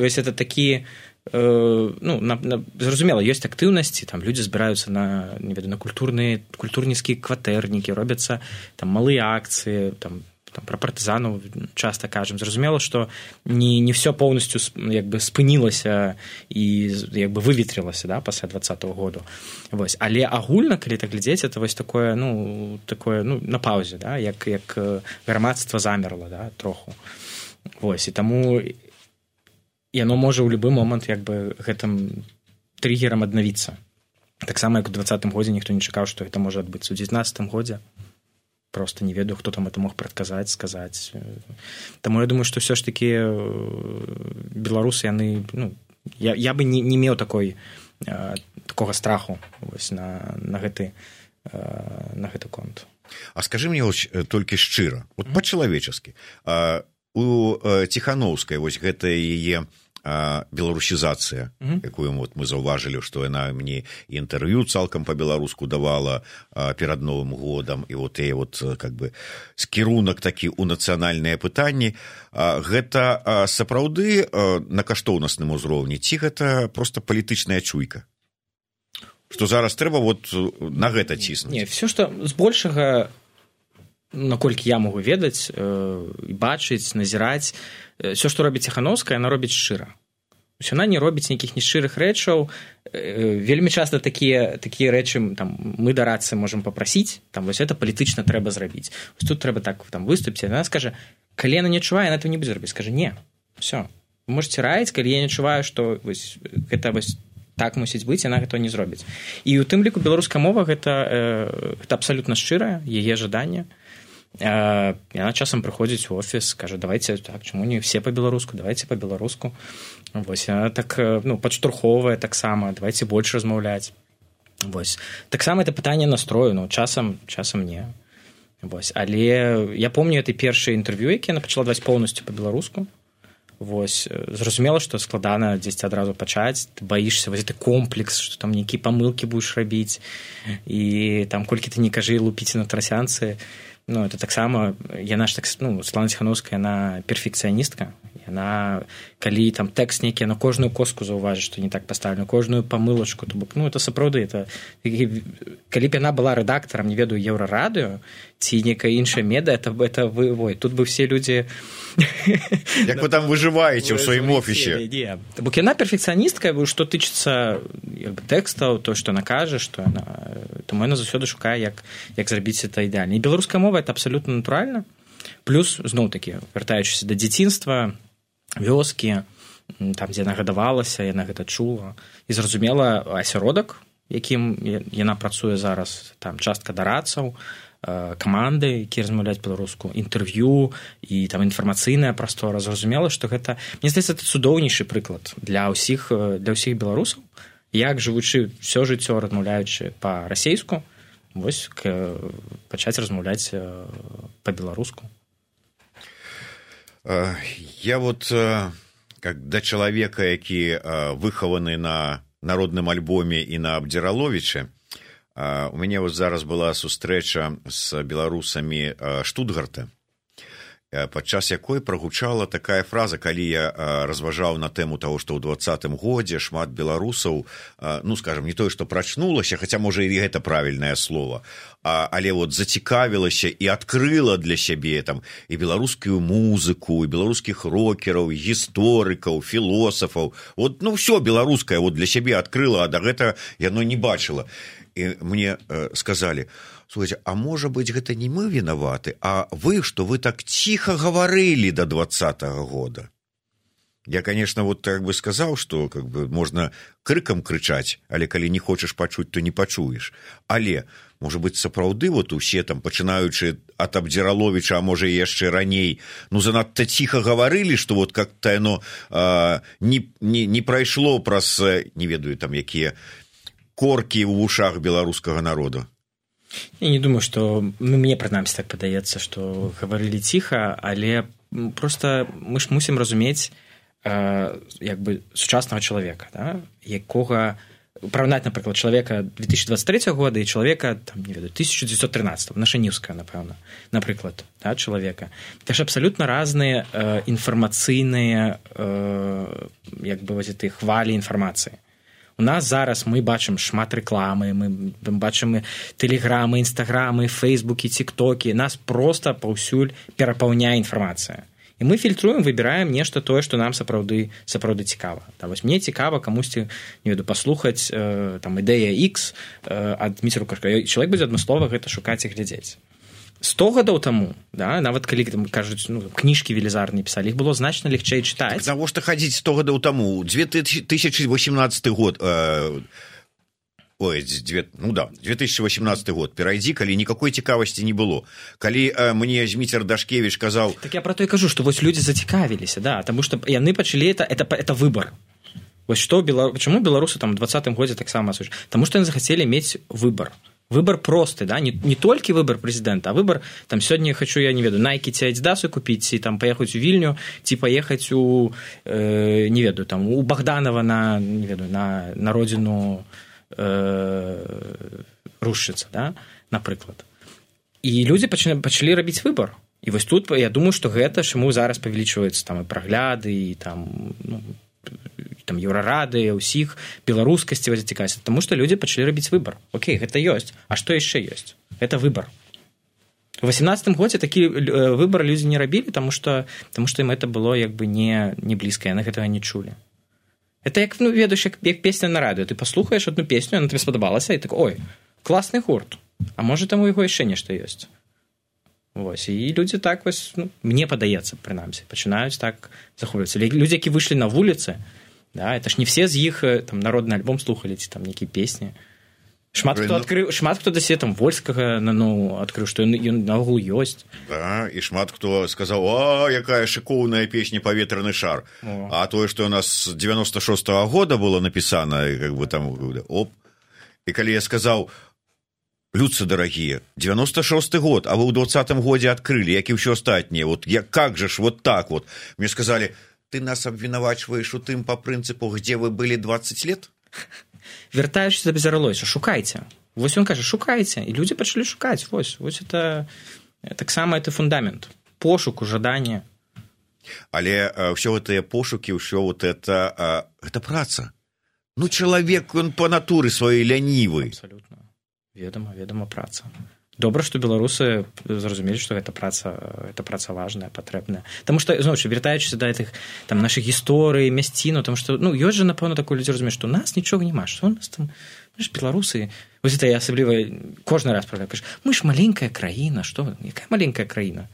Вось это такі, э, ну, на, на, зразумела, ёсць актыўнасці, там людзі збіраюцца на, не ведаю, на культурныя, культурніцкія кватэрнікі, робяцца там малыя акцыі, там, там, пра партызанаў часта кажам. Зразумела, што не, не все поўнасцю як бы спынілася і як бы выветрылася, да, пасля двадцатага году. Вось. Але агульна, калі так глядзець, это вось такое, ну, такое, ну, на паўзе, да, як, як грамадства замерла, да, троху. Вось. І таму яно можа ў любы момант як бы гэтым триггерам аднавіцца. Таксама, як у двадцатым годзе ніхто не чакаў, што гэта можа адбыцца. У дзевятнаццатым годзе просто не ведаю, хто там это мог прадказаць, сказаць. Таму я думаю, што ўсё ж такі беларусы, яны, ну, я, я бы не, не меў такой, э, такога страху вось, на, на, гэты, э, на гэты конт. А скажы мне вось, толькі шчыра, вот mm-hmm. па-чалавечаскі, а, у э, Ціханаўскай вось гэта яе беларусізацыя, mm-hmm. якую вот мы заўважылі, што яна мне інтэрв'ю цалкам па-беларуску давала а, перад Новым годам, і вот яе вот как бы скірунак такі ў нацыянальныя пытанні. А, гэта а, сапраўды а, на каштоўнасным узроўні, ці гэта проста палітычная чуйка? Што зараз трэба вот на гэта ціснуць? Не, все, што збольшага, наколькі я могу ведаць, і бачыць, назіраць, все, што робіць Ціханаўская, яна робіць шчыра. Яна не робіць нейкіх нешчырых рэчаў. Вельмі часта такія, такія рэчы там, мы да рацыі можам папрасіць, там, вось это палітычна трэба зрабіць. Вось тут трэба так там, выступіць. Яна скажа, калі яна не адчувае, яна этого не будзе рабіць. Скажа, не, все. Вы можете раіць, калі я не адчуваю, што вось, гэта вось, так мусіць быць, яна гэта не зробіць. І ў тым ліку беларуская мова гэта, гэта абсалютна шчырая, яе жаданне. Яна часам прыходзіць у офіс, кажа, давайте так, чаму не все па-беларуску, давайте па-беларуску. Вось, яна так, ну, падштурхоўвае таксама, давайте больш размаўляць. Вось. Таксама это пытанне настрою, ну, часам, часам не. Вось. Але я помню это першае інтэрв'ю, яке яна пачала даваць поўнасцю па-беларуску. Вось. Зразумела, што складана дзесьці адразу пачаць, ты баішся, вось гэты комплекс, што там нейкія памылкі будзеш рабіць, і там колькі ты не кажы, лупіце на трасянцы. Ну, это таксама, яна ж так, ну, Светлана Ціханаўская, яна перфекцыяністка. Яна, калі там тэкст нейкі, яна кожную коску заўважыць, што не так паставлена, кожную памылачку, то бок, ну, это сапраўды, это, калі б яна была рэдактарам, не ведаю, Еўрарадыё, ці нейкая іншая меда, это, это вы, ой, тут бы все людзі... Як вы там выжываеце ў сваім офісе? Не, бок яна перфекцыяністка, што тычыцца тэкстаў, то, што яна кажа, што яна... Таму яна заўсёды шукае, як, як зрабіць это ідэальна. І беларуская мова это абсалютна натуральна. Плюс, зноў-такі, вяртаючыся да дзяцінства, вёскі, там, дзе яна гадавалася, яна гэта чула. І зразумела, асяродак, якім яна працуе зараз, там, частка дарадцаў, каманды, якія размаўляюць па-беларуску, інтэрв'ю і там інфармацыйная прастора. Зразумела, што гэта, мне здаецца, это цудоўнейшы прыклад для ўсіх, для ўсіх беларусаў, як жывучы ўсё жыццё, размаўляючы па-расейску, вось пачаць размаўляць па-беларуску. Я вот как да чалавека, які выхаваны на народным альбоме і на Абдзіраловічы, у мяне вот зараз была сустрэча з беларусамі Штутгарта, падчас якой прагучала такая фраза, калі я разважаў на тэму таго, што ў двадцатым годзе шмат беларусаў, ну, скажам, не тое, што прачнулася, хаця, можа, і гэта правільнае слово, але вот зацікавілася і адкрыла для сябе там і беларускую музыку, і беларускіх рокераў, гісторыкаў, філосафаў. Вот, ну, ўсё беларускае вот для сябе адкрыла, а да гэта яно не бачыла. і мне сказалі: слухайте, а можа быть гэта не мы вінаваты, а вы, што вы так ціха гаварылі да двадцатага года. Я, конечно, вот так бы сказал, что как бы можно крыкам крычаць, але калі не хочаш пачуць, то не пачуеш. Але, можа быть, сапраўды вот усе там, пачынаючы ад Абдзіраловіча, а можа і яшчэ раней, ну занадта ціха гаварылі, што вот как-то яно а, не, не, не прайшло праз, не ведаю, там якія коркі ў вушах беларускага народа. Я не думаю, што ну, мне прынамсі так падаецца, што гаварылі ціха, але просто мы ж мусім разумець як бы сучаснага чалавека, да? Якога параўнаць, напрыклад, чалавека две тысячи двадцать третьего года і чалавека там, не ведаю, тысяча девятьсот тринадцатого, Нашаніўскага, напэўна, напрыклад, да, чалавека. Это ж абсалютна разныя э, інфармацыйныя э, як бы вось этой хвалі інфармацыі. У нас зараз мы бачым шмат рэкламы, мы бачым тэлеграмы, інстаграмы, фейсбукі, тиктокі, нас проста паўсюль перапаўняе інфармацыя. І мы фільтруем, выбіраем нешта тое, што нам сапраўды сапраўды цікава. Да, вось мне цікава камусьці, не веду, паслухаць э, там ідэя X э, ад Зміцера Лукашка. Чалавек будзе адмыслова гэта шукаць і глядзець. сто гадоў таму, да, нават калі там кажуць, ну, кніжкі велізарныя пісалі, іх было значна легчэй чытаць. Так навошта хадзіць сто гадоў таму? две тысячи восемнадцатый год. Э... Ой, ну да, две тысячи восемнадцатый год, перайдзі, калі никакой цікавасці не было. Калі э, мне Зміцер Дашкевіч казаў... Так я про то и кажу, что вот люди зацікавіліся, да, потому что яны пачалі, это, это, это выбор. Вот что, Белор... почему белорусы там в двадцатым году так само осуждают? Потому что они захотели иметь выбор. Выбор простый, да, не, не только выбор президента, а выбор, там, сегодня хочу, я не веду, Nike ці Адидасу купить, и там поехать у Вильню, ці поехать у, э, не веду, там, у Богданова на, не веду, на, на родину... рушыцца, да, напрыклад. І людзі пачалі, пачалі рабіць выбар. І вось тут я думаю, што гэта чаму зараз павялічваюцца там і прагляды, і там, ну, там еўрарады, ўсіх беларускасці зацікавіць, таму што людзі пачалі рабіць выбар. Окей, гэта ёсць. А што яшчэ ёсць? Гэта выбар. У восемнадцатым годзе такі выбар людзі не рабілі, таму што, таму што ім гэта было як бы не, не блізка, яны гэтага не чулі. Это як, ну, ведаеш, як, як песня на радыё. Ты паслухаеш одну песню, она тебе спадабалася, і так, ой, класны гурт. А можа, там у яго яшчэ нешта ёсць. Вось, і людзі так вось, ну, мне падаецца, прынамсі, пачынаюць так захоўвацца. Людзі, які выйшлі на вуліцы, да, это ж не все з іх там народны альбом слухалі, ці там нейкія песні. Шмат хто адкрыў, шмат хто дасе там Вольскага, ну, адкрыў, што ён, ён наогул ёсць. Да, і шмат хто сказаў: а, якая шыкоўная песня «Паветраны шар». О. А тое, што у нас з девяносто шостого года было напісана, как бы там, оп. І калі я сказаў: людцы дарагія, девяносто шосты год, а вы ў двадцатым годзе адкрылі, як і ўсё астатняе, вот я, как же ж вот так вот. Мне сказалі: ты нас абвінавачваеш у тым па прынцыпу, где вы былі двадцать лет? Вяртаючыся да Абдзіраловіча, шукайце. Вось ён кажа, шукайце. І людзі пачалі шукаць. Вось, вось это таксама это фундамент. Пошуку, жаданне. Але а, ўсё гэтыя пошукі, ўсё вот это, а, гэта праца. Ну, чалавек, он па натуры сваёй лянівы. Абсалютна. Ведама, ведама праца. Добра, што беларусы зразумелі, што гэта праца, гэта праца важная, патрэбная. Таму што, зноў ж, вяртаючыся да гэтых там нашых гісторый, мясціну, таму што, ну, ёсць жа, напэўна, такое людзі разумеюць, што у нас нічога няма, што у нас там, мы ж беларусы, вось это я асабліва кожны раз правда кажу, мы ж маленькая краіна, што, якая маленькая краіна?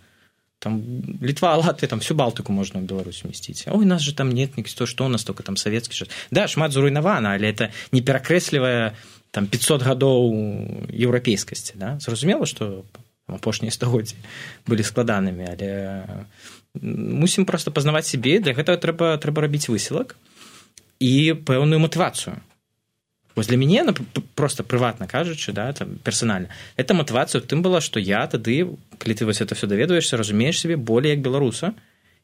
Там Літва, Латвія, там всю Балтыку можна ў Беларусі умесціць. Ой, у нас же там нет, што, што у нас только там савецкі час. Да, шмат зруйнавана, але это не перакрэслівае там пятьсот гадоў еўрапейскасці, да? Зразумела, што апошнія стагоддзі былі складанымі, але мусім проста пазнаваць сябе, для гэтага трэба, трэба рабіць высілак і пэўную матывацыю. Вось для мяне, просто прыватна кажучы, да, там, персанальна, эта матывацыя тым была, што я тады, калі ты вось это все даведваешся, разумееш сябе болей як беларуса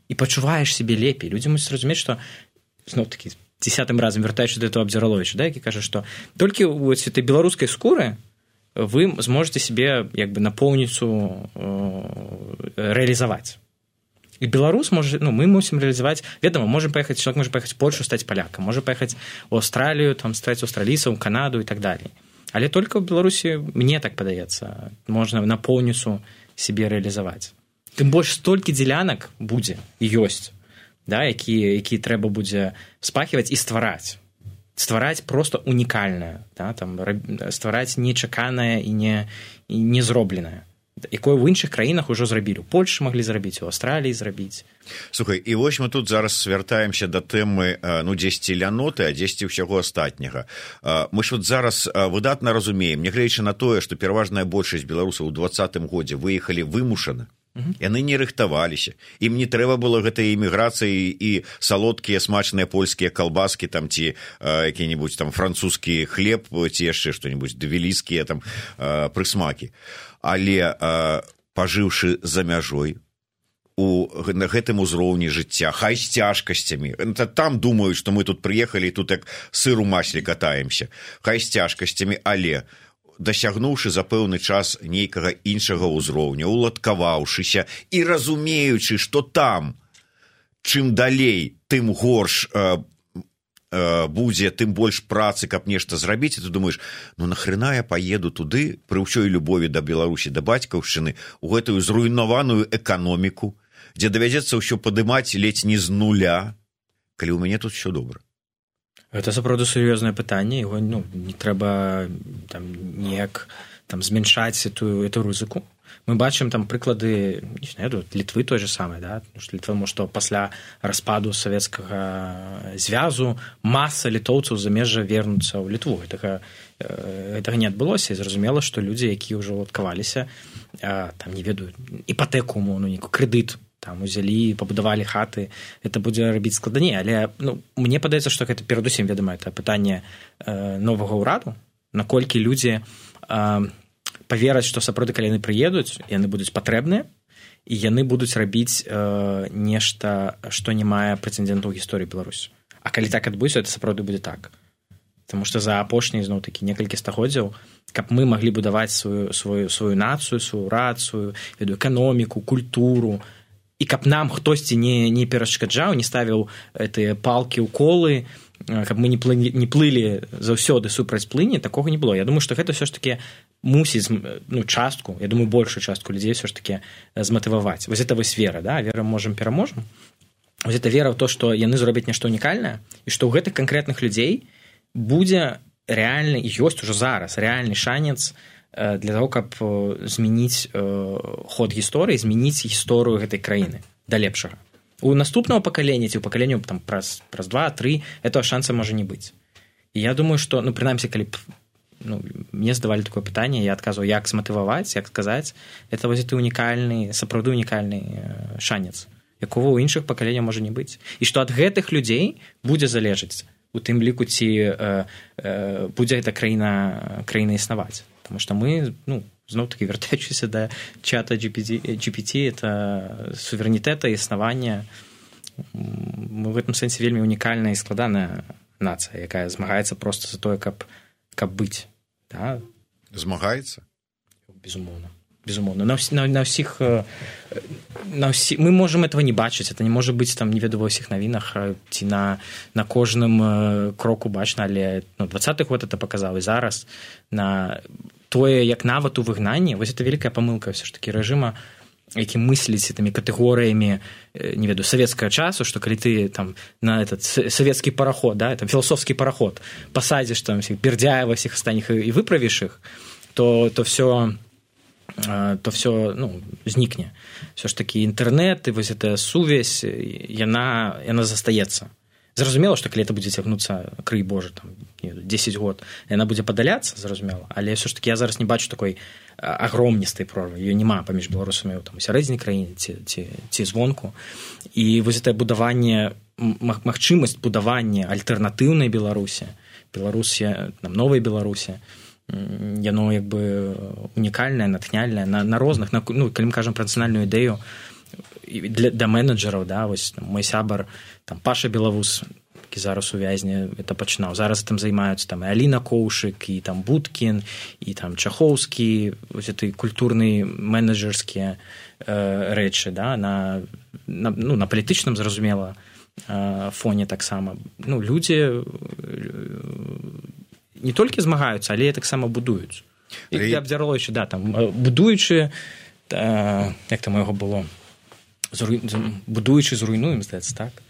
і пачуваеш сябе лепей. Людзі мусяць разумець, што зноў-такі десятым разам вяртаючы да этого Абдзіраловіча, да, які кажа, што толькі ў этой беларускай скуры вы зможаце сябе як бы напоўніцу э, рэалізаваць. І беларус можа, ну, мы мусім рэалізаваць, ведама, можам паехаць, чалавек можа паехаць у Польшу, стаць палякам, можа паехаць у Аўстралію, там стаць аўстралійцам, Канаду і так далей. Але толькі ў Беларусі, мне так падаецца, можна напоўніцу сябе рэалізаваць. Тым больш столькі дзелянак будзе і ёсць, да, які, які трэба будзе спахіваць і ствараць. ствараць просто унікальнае, да, там, ствараць нечаканае і не, і не зробленае, якое ў іншых краінах ужо зрабілі. У Польшы маглі зрабіць, у Аўстраліі зрабіць. Слухай, і вось мы тут зараз звяртаемся да тэмы, ну, дзесьці ляноты, а дзесьці ўсяго астатняга. Мы ж вот зараз выдатна разумеем, нягледзячы на тое, што пераважная большасць беларусаў у двадцатым годзе выехалі вымушаны, яны не рыхтаваліся, ім не трэба было гэтай эміграцыі і салодкія смачныя польскія калбаскі там ці э, які-небудзь там французскі хлеб ці яшчэ што-небудзь давеліскія там э, прысмакі, але э, пажыўшы за мяжой у на гэтым узроўні жыцця, хай з цяжкасцямі, там думаюць, што мы тут прыехалі і тут як сыр у масле катаемся, хай з цяжкасцямі, але дасягнуўшы за пэўны час нейкага іншага ўзроўня, уладкаваўшыся і разумеючы, што там, чым далей, тым горш э, э, будзе, тым больш працы, каб нешта зрабіць, і ты думаеш, ну нахрена я паеду туды, пры ўсёй любові да Беларусі, да бацькаўшчыны, у гэтую зруйнаваную эканоміку, дзе давядзецца ўсё падымаць ледзь не з нуля, калі ў мяне тут ўсё добра. Гэта сапраўды сур'ёзнае пытанне, яго, ну, не трэба там неяк там змяншаць эту, эту рызыку. Мы бачым там прыклады, не знаю, Літвы той же самае, да, тому што пасля распаду савецкага звязу маса літоўцаў замежжа вернуцца ў Літву. Гэтага, гэтага не адбылося, і зразумела, што людзі, якія ўжо уладкаваліся, там не ведаюць іпатэку, ну, нейкі крэдыт там узялі, пабудавалі хаты, это будзе рабіць складаней, але ну, мне падаецца, што гэта перадусім, вядома, это пытанне э, новага ўраду, наколькі людзі э, павераць, што сапраўды, калі яны прыедуць, яны будуць патрэбныя, і яны будуць рабіць э, нешта, што не мае прэцэдэнту ў гісторыі Беларусі. А калі так адбудзецца, это сапраўды будзе так. Таму што за апошнія, зноў-такі, некалькі стагоддзяў, каб мы маглі будаваць сваю, сваю, сваю нацыю, сваю рацыю, веду, эканоміку, культуру, і каб нам хтосьці не, не перашкаджаў, не ставіў гэтыя палкі ў колы, каб мы не плылі, не плылі заўсёды супраць плыні, такога не было. Я думаю, што гэта ўсё ж такі мусіць, ну, частку, я думаю, большую частку людзей ўсё ж такі зматываваць. Вось гэта вось вера, да? Вера можам пераможам. Вось гэта вера ў то, што яны зробяць нешта унікальнае, і што ў гэтых канкрэтных людзей будзе рэальны, і ёсць ужо зараз рэальны шанец для того, каб змяніць ход гісторыі, змяніць гісторыю гэтай краіны да лепшага. У наступного пакалення ці ў пакаленню там праз праз два-тры этого шанса можа не быць. І я думаю, што, ну, прынамсі, калі б ну, мне задавалі такое пытанне, я адказваў, як зматываваць, як сказаць, это вось гэты унікальны, сапраўды унікальны шанец, якога ў іншых пакаленняў можа не быць. І што ад гэтых людзей будзе залежаць у тым ліку, ці э, э, будзе гэта краіна, краіна існаваць. Потому что мы, ну, зноў-таки, вяртаючыся да чата джи пі ти, это суверэнітэта і існавання. Мы в гэтым сэнсе вельмі унікальная і складаная нацыя, якая змагаецца проста за тое, каб, каб быць. Да? Змагаецца? Безумоўна. Безумоўна. На, на, на ўсіх... На ўсі... Мы можам этого не бачыць. Это не можа быць, там, не веду ва ўсіх навінах, ці на, на кожным кроку бачна, але ну, двадцаты год это паказаў, і зараз на тое, як нават у выгнанні, вось это вялікая памылка ўсё ж такі рэжыма, які мысліць гэтымі катэгорыямі, не веду, савецкага часу, што калі ты там на этот савецкі параход, да, там філасофскі параход пасадзіш там всіх Бердяева, всіх астатніх і выправіш іх, то, то все... то все, ну, знікне. Все ж таки інтэрнэт і вось эта сувязь, яна, яна застаецца. Зразумела, што калі это будзе цягнуцца, крый Божа, там, дзесяць год, яна будзе падаляцца, зразумела, але все ж таки я зараз не бачу такой агромністай прорвы, ее няма паміж беларусамі там, у сярэдзіне краіны ці, ці, ці звонку. І вось это будаванне, магчымасць будавання альтэрнатыўнай Беларусі, Беларусі, там, новай Беларусі, яно як бы унікальнае, натхняльнае на, на розных, на, ну, калі мы кажам пра нацыянальную ідэю для, для менеджераў, да, вось там, мой сябар там, Паша Белавус, які зараз у вязні это пачынаў, зараз там займаюцца там, і Аліна Коўшык, і там Будкін, і там Чахоўскі, вось этой культурныя менеджерскія э, рэчы, да, на, на, ну, на палітычным, зразумела, э, фоне таксама. Ну, людзі не толькі змагаюцца, але таксама будуюць. І Рей... абдзярловичы, да, там, будуючы, та, як там яго было, Зруй... будуючы зруйнуем, здаецца, так?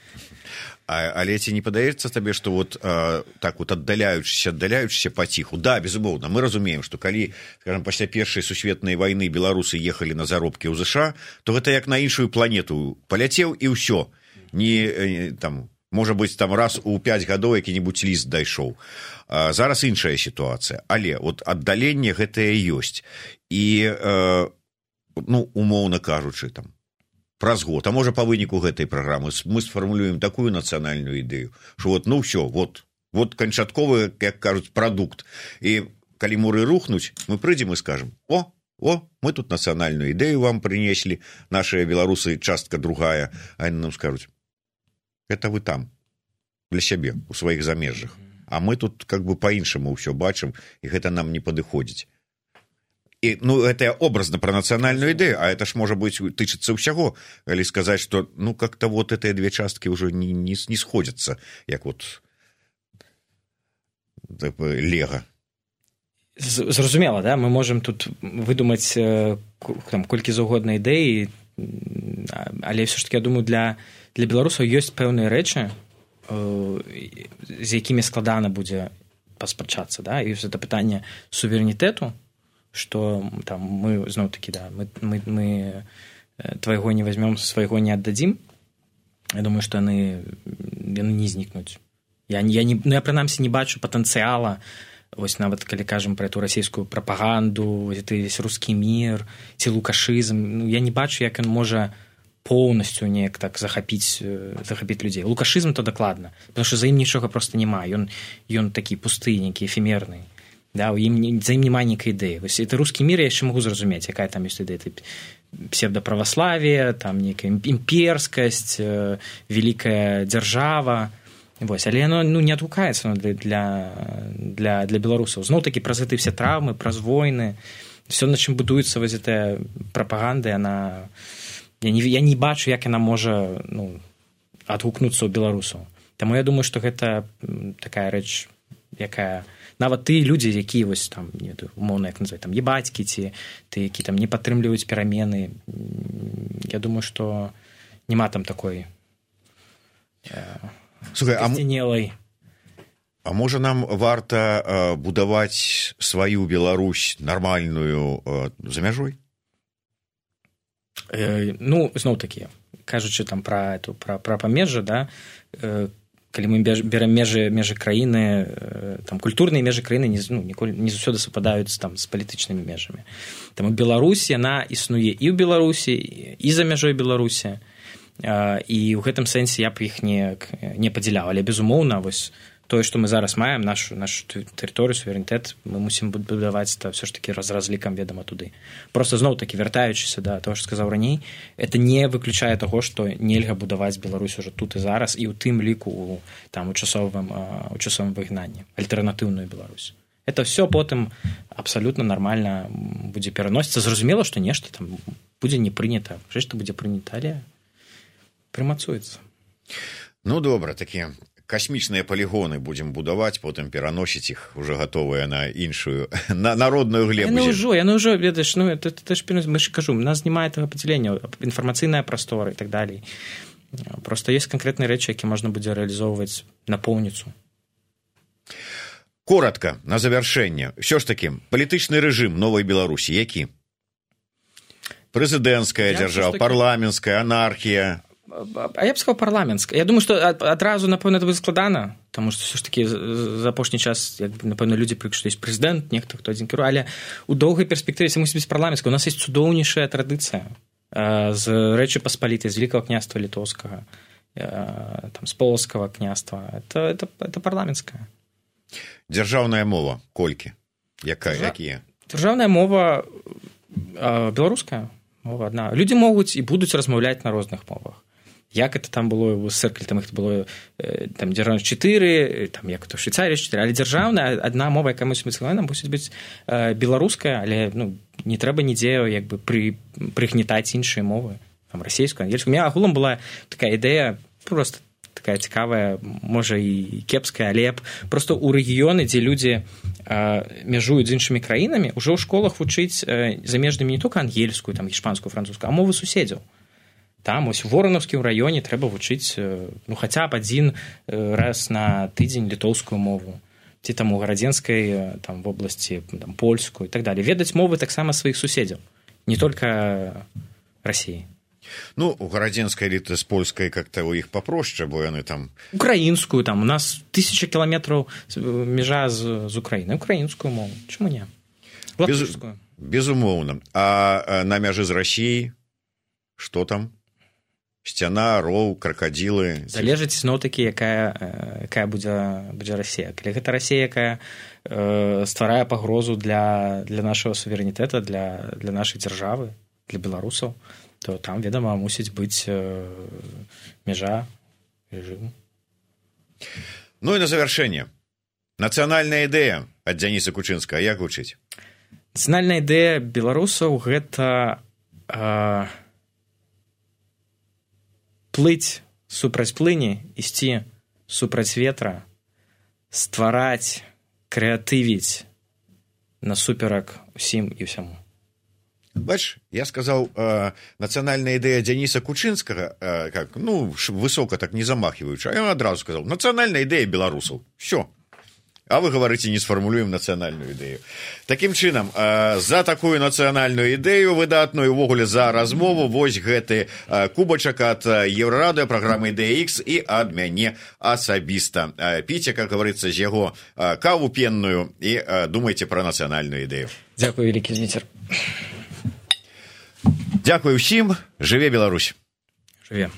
А, але ці не падаецца табе, што вот а, так вот аддаляючыся, аддаляючыся паціху, да, безумоўна, мы разумеем, што калі, скажем, пасля першай сусветнай вайны беларусы ехалі на заробкі ў ЗША, то гэта як на іншую планету паляцеў і ўсё. Не, там, можа быць, там раз у пяць гадоў які-небудзь ліст дайшоў. А, зараз іншая сітуацыя, але вот аддаленне гэтае ёсць. І, а, ну, умоўна кажучы, там, праз год, а можа па выніку гэтай праграмы мы сфармулюем такую нацыянальную ідэю, што вот, ну ўсё, вот, вот канчатковы, як кажуць, прадукт. І калі муры рухнуць, мы прыйдзем і скажем: о, о, мы тут нацыянальную ідэю вам прынеслі, нашыя беларусы частка другая, а яны нам скажуць: это вы там, для сябе, у сваіх замежжах. А мы тут как бы па-іншаму ўсё бачым, і гэта нам не падыходзіць. І, ну, это образно про нацыянальную ідэю, а это ж, можа быць, тычыцца ўсяго, калі сказаць, што, ну, как-то вот гэтыя две часткі ўжо не, не, не сходзяцца, як вот лего. Зразумела, да? Мы можам тут выдумаць там колькі заўгодна ідэі, але ўсё ж таки, я думаю, для, для беларусаў ёсць пэўныя рэчы, з якімі складана будзе паспрачацца, да? І гэта пытанне суверэнітэту, что там мы, зноў-таки, да, мы, мы, мы твайго не возьмем, свайго не аддадзім. Я думаю, што яны, яны не знікнуць. Я, я, не, ну, я прынамсі не бачу патэнцыяла, вось нават калі кажам пра эту расійскую прапаганду, гэты весь рускі мір, ці лукашызм, ну, я не бачу, як ён можа поўнасцю неяк так захапіць, захапіць людзей. Лукашызм то дакладна, потому што за ім нічога проста няма. Ён, ён такі пусты, нейкі эфемерны. Да, у ім, за ім няма нейкай ідэі. Вось это рускі мір, я яшчэ магу зразумець, якая там ёсць ідэя. Псевдаправаславие, там нейкая імперскасць, вялікая дзяржава. Вось, але яно, ну, не адгукаецца для, для, для беларусаў. Зноў-такі праз гэты все траўмы, праз войны, все, на чым будуецца вось гэтая прапаганда, яна... Я не, я не бачу, як яна можа, ну, адгукнуцца ў беларусаў. Таму я думаю, што гэта такая рэч, якая... Нават ты людзі, якія вось там, не, умоўна, як называць, там, ебацькі, ці ты, які там не падтрымліваюць перамены, я думаю, што няма там такой скасцянелай. А можа нам варта э, будаваць сваю Беларусь нармальную э, за мяжой? Э, ну, зноў-такі, кажучы там пра, эту, пра, пра памежжа, да, э, калі мы берем межы, межы краіны, там, культурныя межы краіны не, ну, ніколі, не заўсёды супадаюць там з палітычнымі межамі. Таму Беларусь, яна існуе і ў Беларусі, і за мяжой Беларусі, і ў гэтым сэнсе я б іх не, не падзяляў. Але, безумоўна, вось тое, што мы зараз маем, нашу, нашу тэрыторыю, суверэнітэт, мы мусім будаваць то ўсё ж такі з разлікам, ведама, туды. Просто зноў-такі, вяртаючыся да того, што сказаў раней, это не выключае таго, што нельга будаваць Беларусь уже тут і зараз, і ў тым ліку у, там, у часовым, у часовым выгнанні, альтэрнатыўную Беларусь. Это все потым абсалютна нармальна будзе пераносіцца. Зразумела, што нешта там будзе не прынята. Што будзе прынята, але прымацуецца. Ну, добра, такія касмічныя палігоны будзем будаваць, потым пераносіць іх уже гатовыя на іншую, на народную глебу. Яны ўжо, яны ўжо, ведаеш, ну, это, это ж, мы ж кажу, у нас няма этого падзялення, інфармацыйная прастора і так далей. Просто ёсць канкрэтныя рэчы, які можна будзе рэалізоўваць напоўніцу. Коротка, на завяршэнне. Ўсё ж такі, палітычны рэжым новай Беларусі, які? Прэзідэнцкая дзяржава, парламенцкая, анархія. А я б сказаў парламенцкая. Я думаю, што адразу, напэўна, это будзе складана, таму што ўсё ж такі за апошні час, як, напэўна, людзі прывыклі, што ёсць прэзідэнт, нехта, хто адзін кіруе, але ў доўгай перспектыве мусіць быць парламенцкая. У нас ёсць цудоўнейшая традыцыя з Рэчы Паспалітай, з Великага княства Літоўскага, там, з Полацкага княства. Это, это, это парламенцкая. Дзяржаўная мова колькі? Якая, Дзяржа... якія? Дзяржаўная мова беларуская мова адна. Людзі могуць і будуць размаўляць на розных мовах. Як это там было ў СССР, там іх было там дзяржаўнасць чатыры, там як то Швейцарія чатыры, але дзяржаўная адна мова, якая мусіць быць складана, мусіць быць беларуская, але ну не трэба нідзе як бы пры прыгнетаць іншыя мовы, там расійскую, ангельскую. У мяне агулам была такая ідэя, просто такая цікавая, можа і кепская, але просто ў рэгіёны, дзе людзі мяжуюць з іншымі краінамі, ужо ў школах вучыць замежнымі не толькі ангельскую, там іспанскую, французскую, а мовы суседзяў. там ось у воронаўскім раёне трэба вучыць ну хаця б адзін раз на тыдзень літоўскую мову ці там у гарадзенскай там вобласці там польскую і так далее, ведаць мовы таксама сваіх суседзяў, не только России. Ну, у гарадзенскай эліты з польскай как-то у іх папроще, бо яны там... Украінскую, там, у нас тысяча кіламетраў межа з, з Украіны. Украінскую мову. Чаму не? Латышскую. Без, безумоўна. А на мяжы з Расіяй што там? Сцяна, роў, кракадзілы... Залежыць зноў-такі, якая, якая будзе, будзе Расія. Калі гэта Расія, якая э, стварае пагрозу для, для нашага суверэнітэта, для, для нашай дзяржавы, для беларусаў, то там, ведама, мусіць быць э, мяжа, рэжым. Ну і на завяршэнне. Нацыянальная ідэя ад Дзяніса Кучынскага як гучыць? Нацыянальная ідэя беларусаў гэта э, плыць супраць плыні, ісці супраць ветра, ствараць, крэатывіць насуперак усім і ўсяму. Бач, я сказаў, э, нацыянальная ідэя Дзяніса Кучынскага, э, как, ну, высока так не замахиваючы, а я адразу сказаў, нацыянальная ідэя беларусаў. Всё. А вы говорите, не сфармулюем нацыянальную ідэю. Такім чынам, э, за такую нацыянальную ідэю выдатную увогуле за размову вось гэты э, кубачак ад Еўрарадыё, праграмы Ідэя Ікс і ад мяне асабіста. Э, піце, как говорится, з яго э, каву пенную і э, думайце пра нацыянальную ідэю. Дзякуй, вялікі Зміцер. Дзякуй усім, жыве Беларусь. Жыве.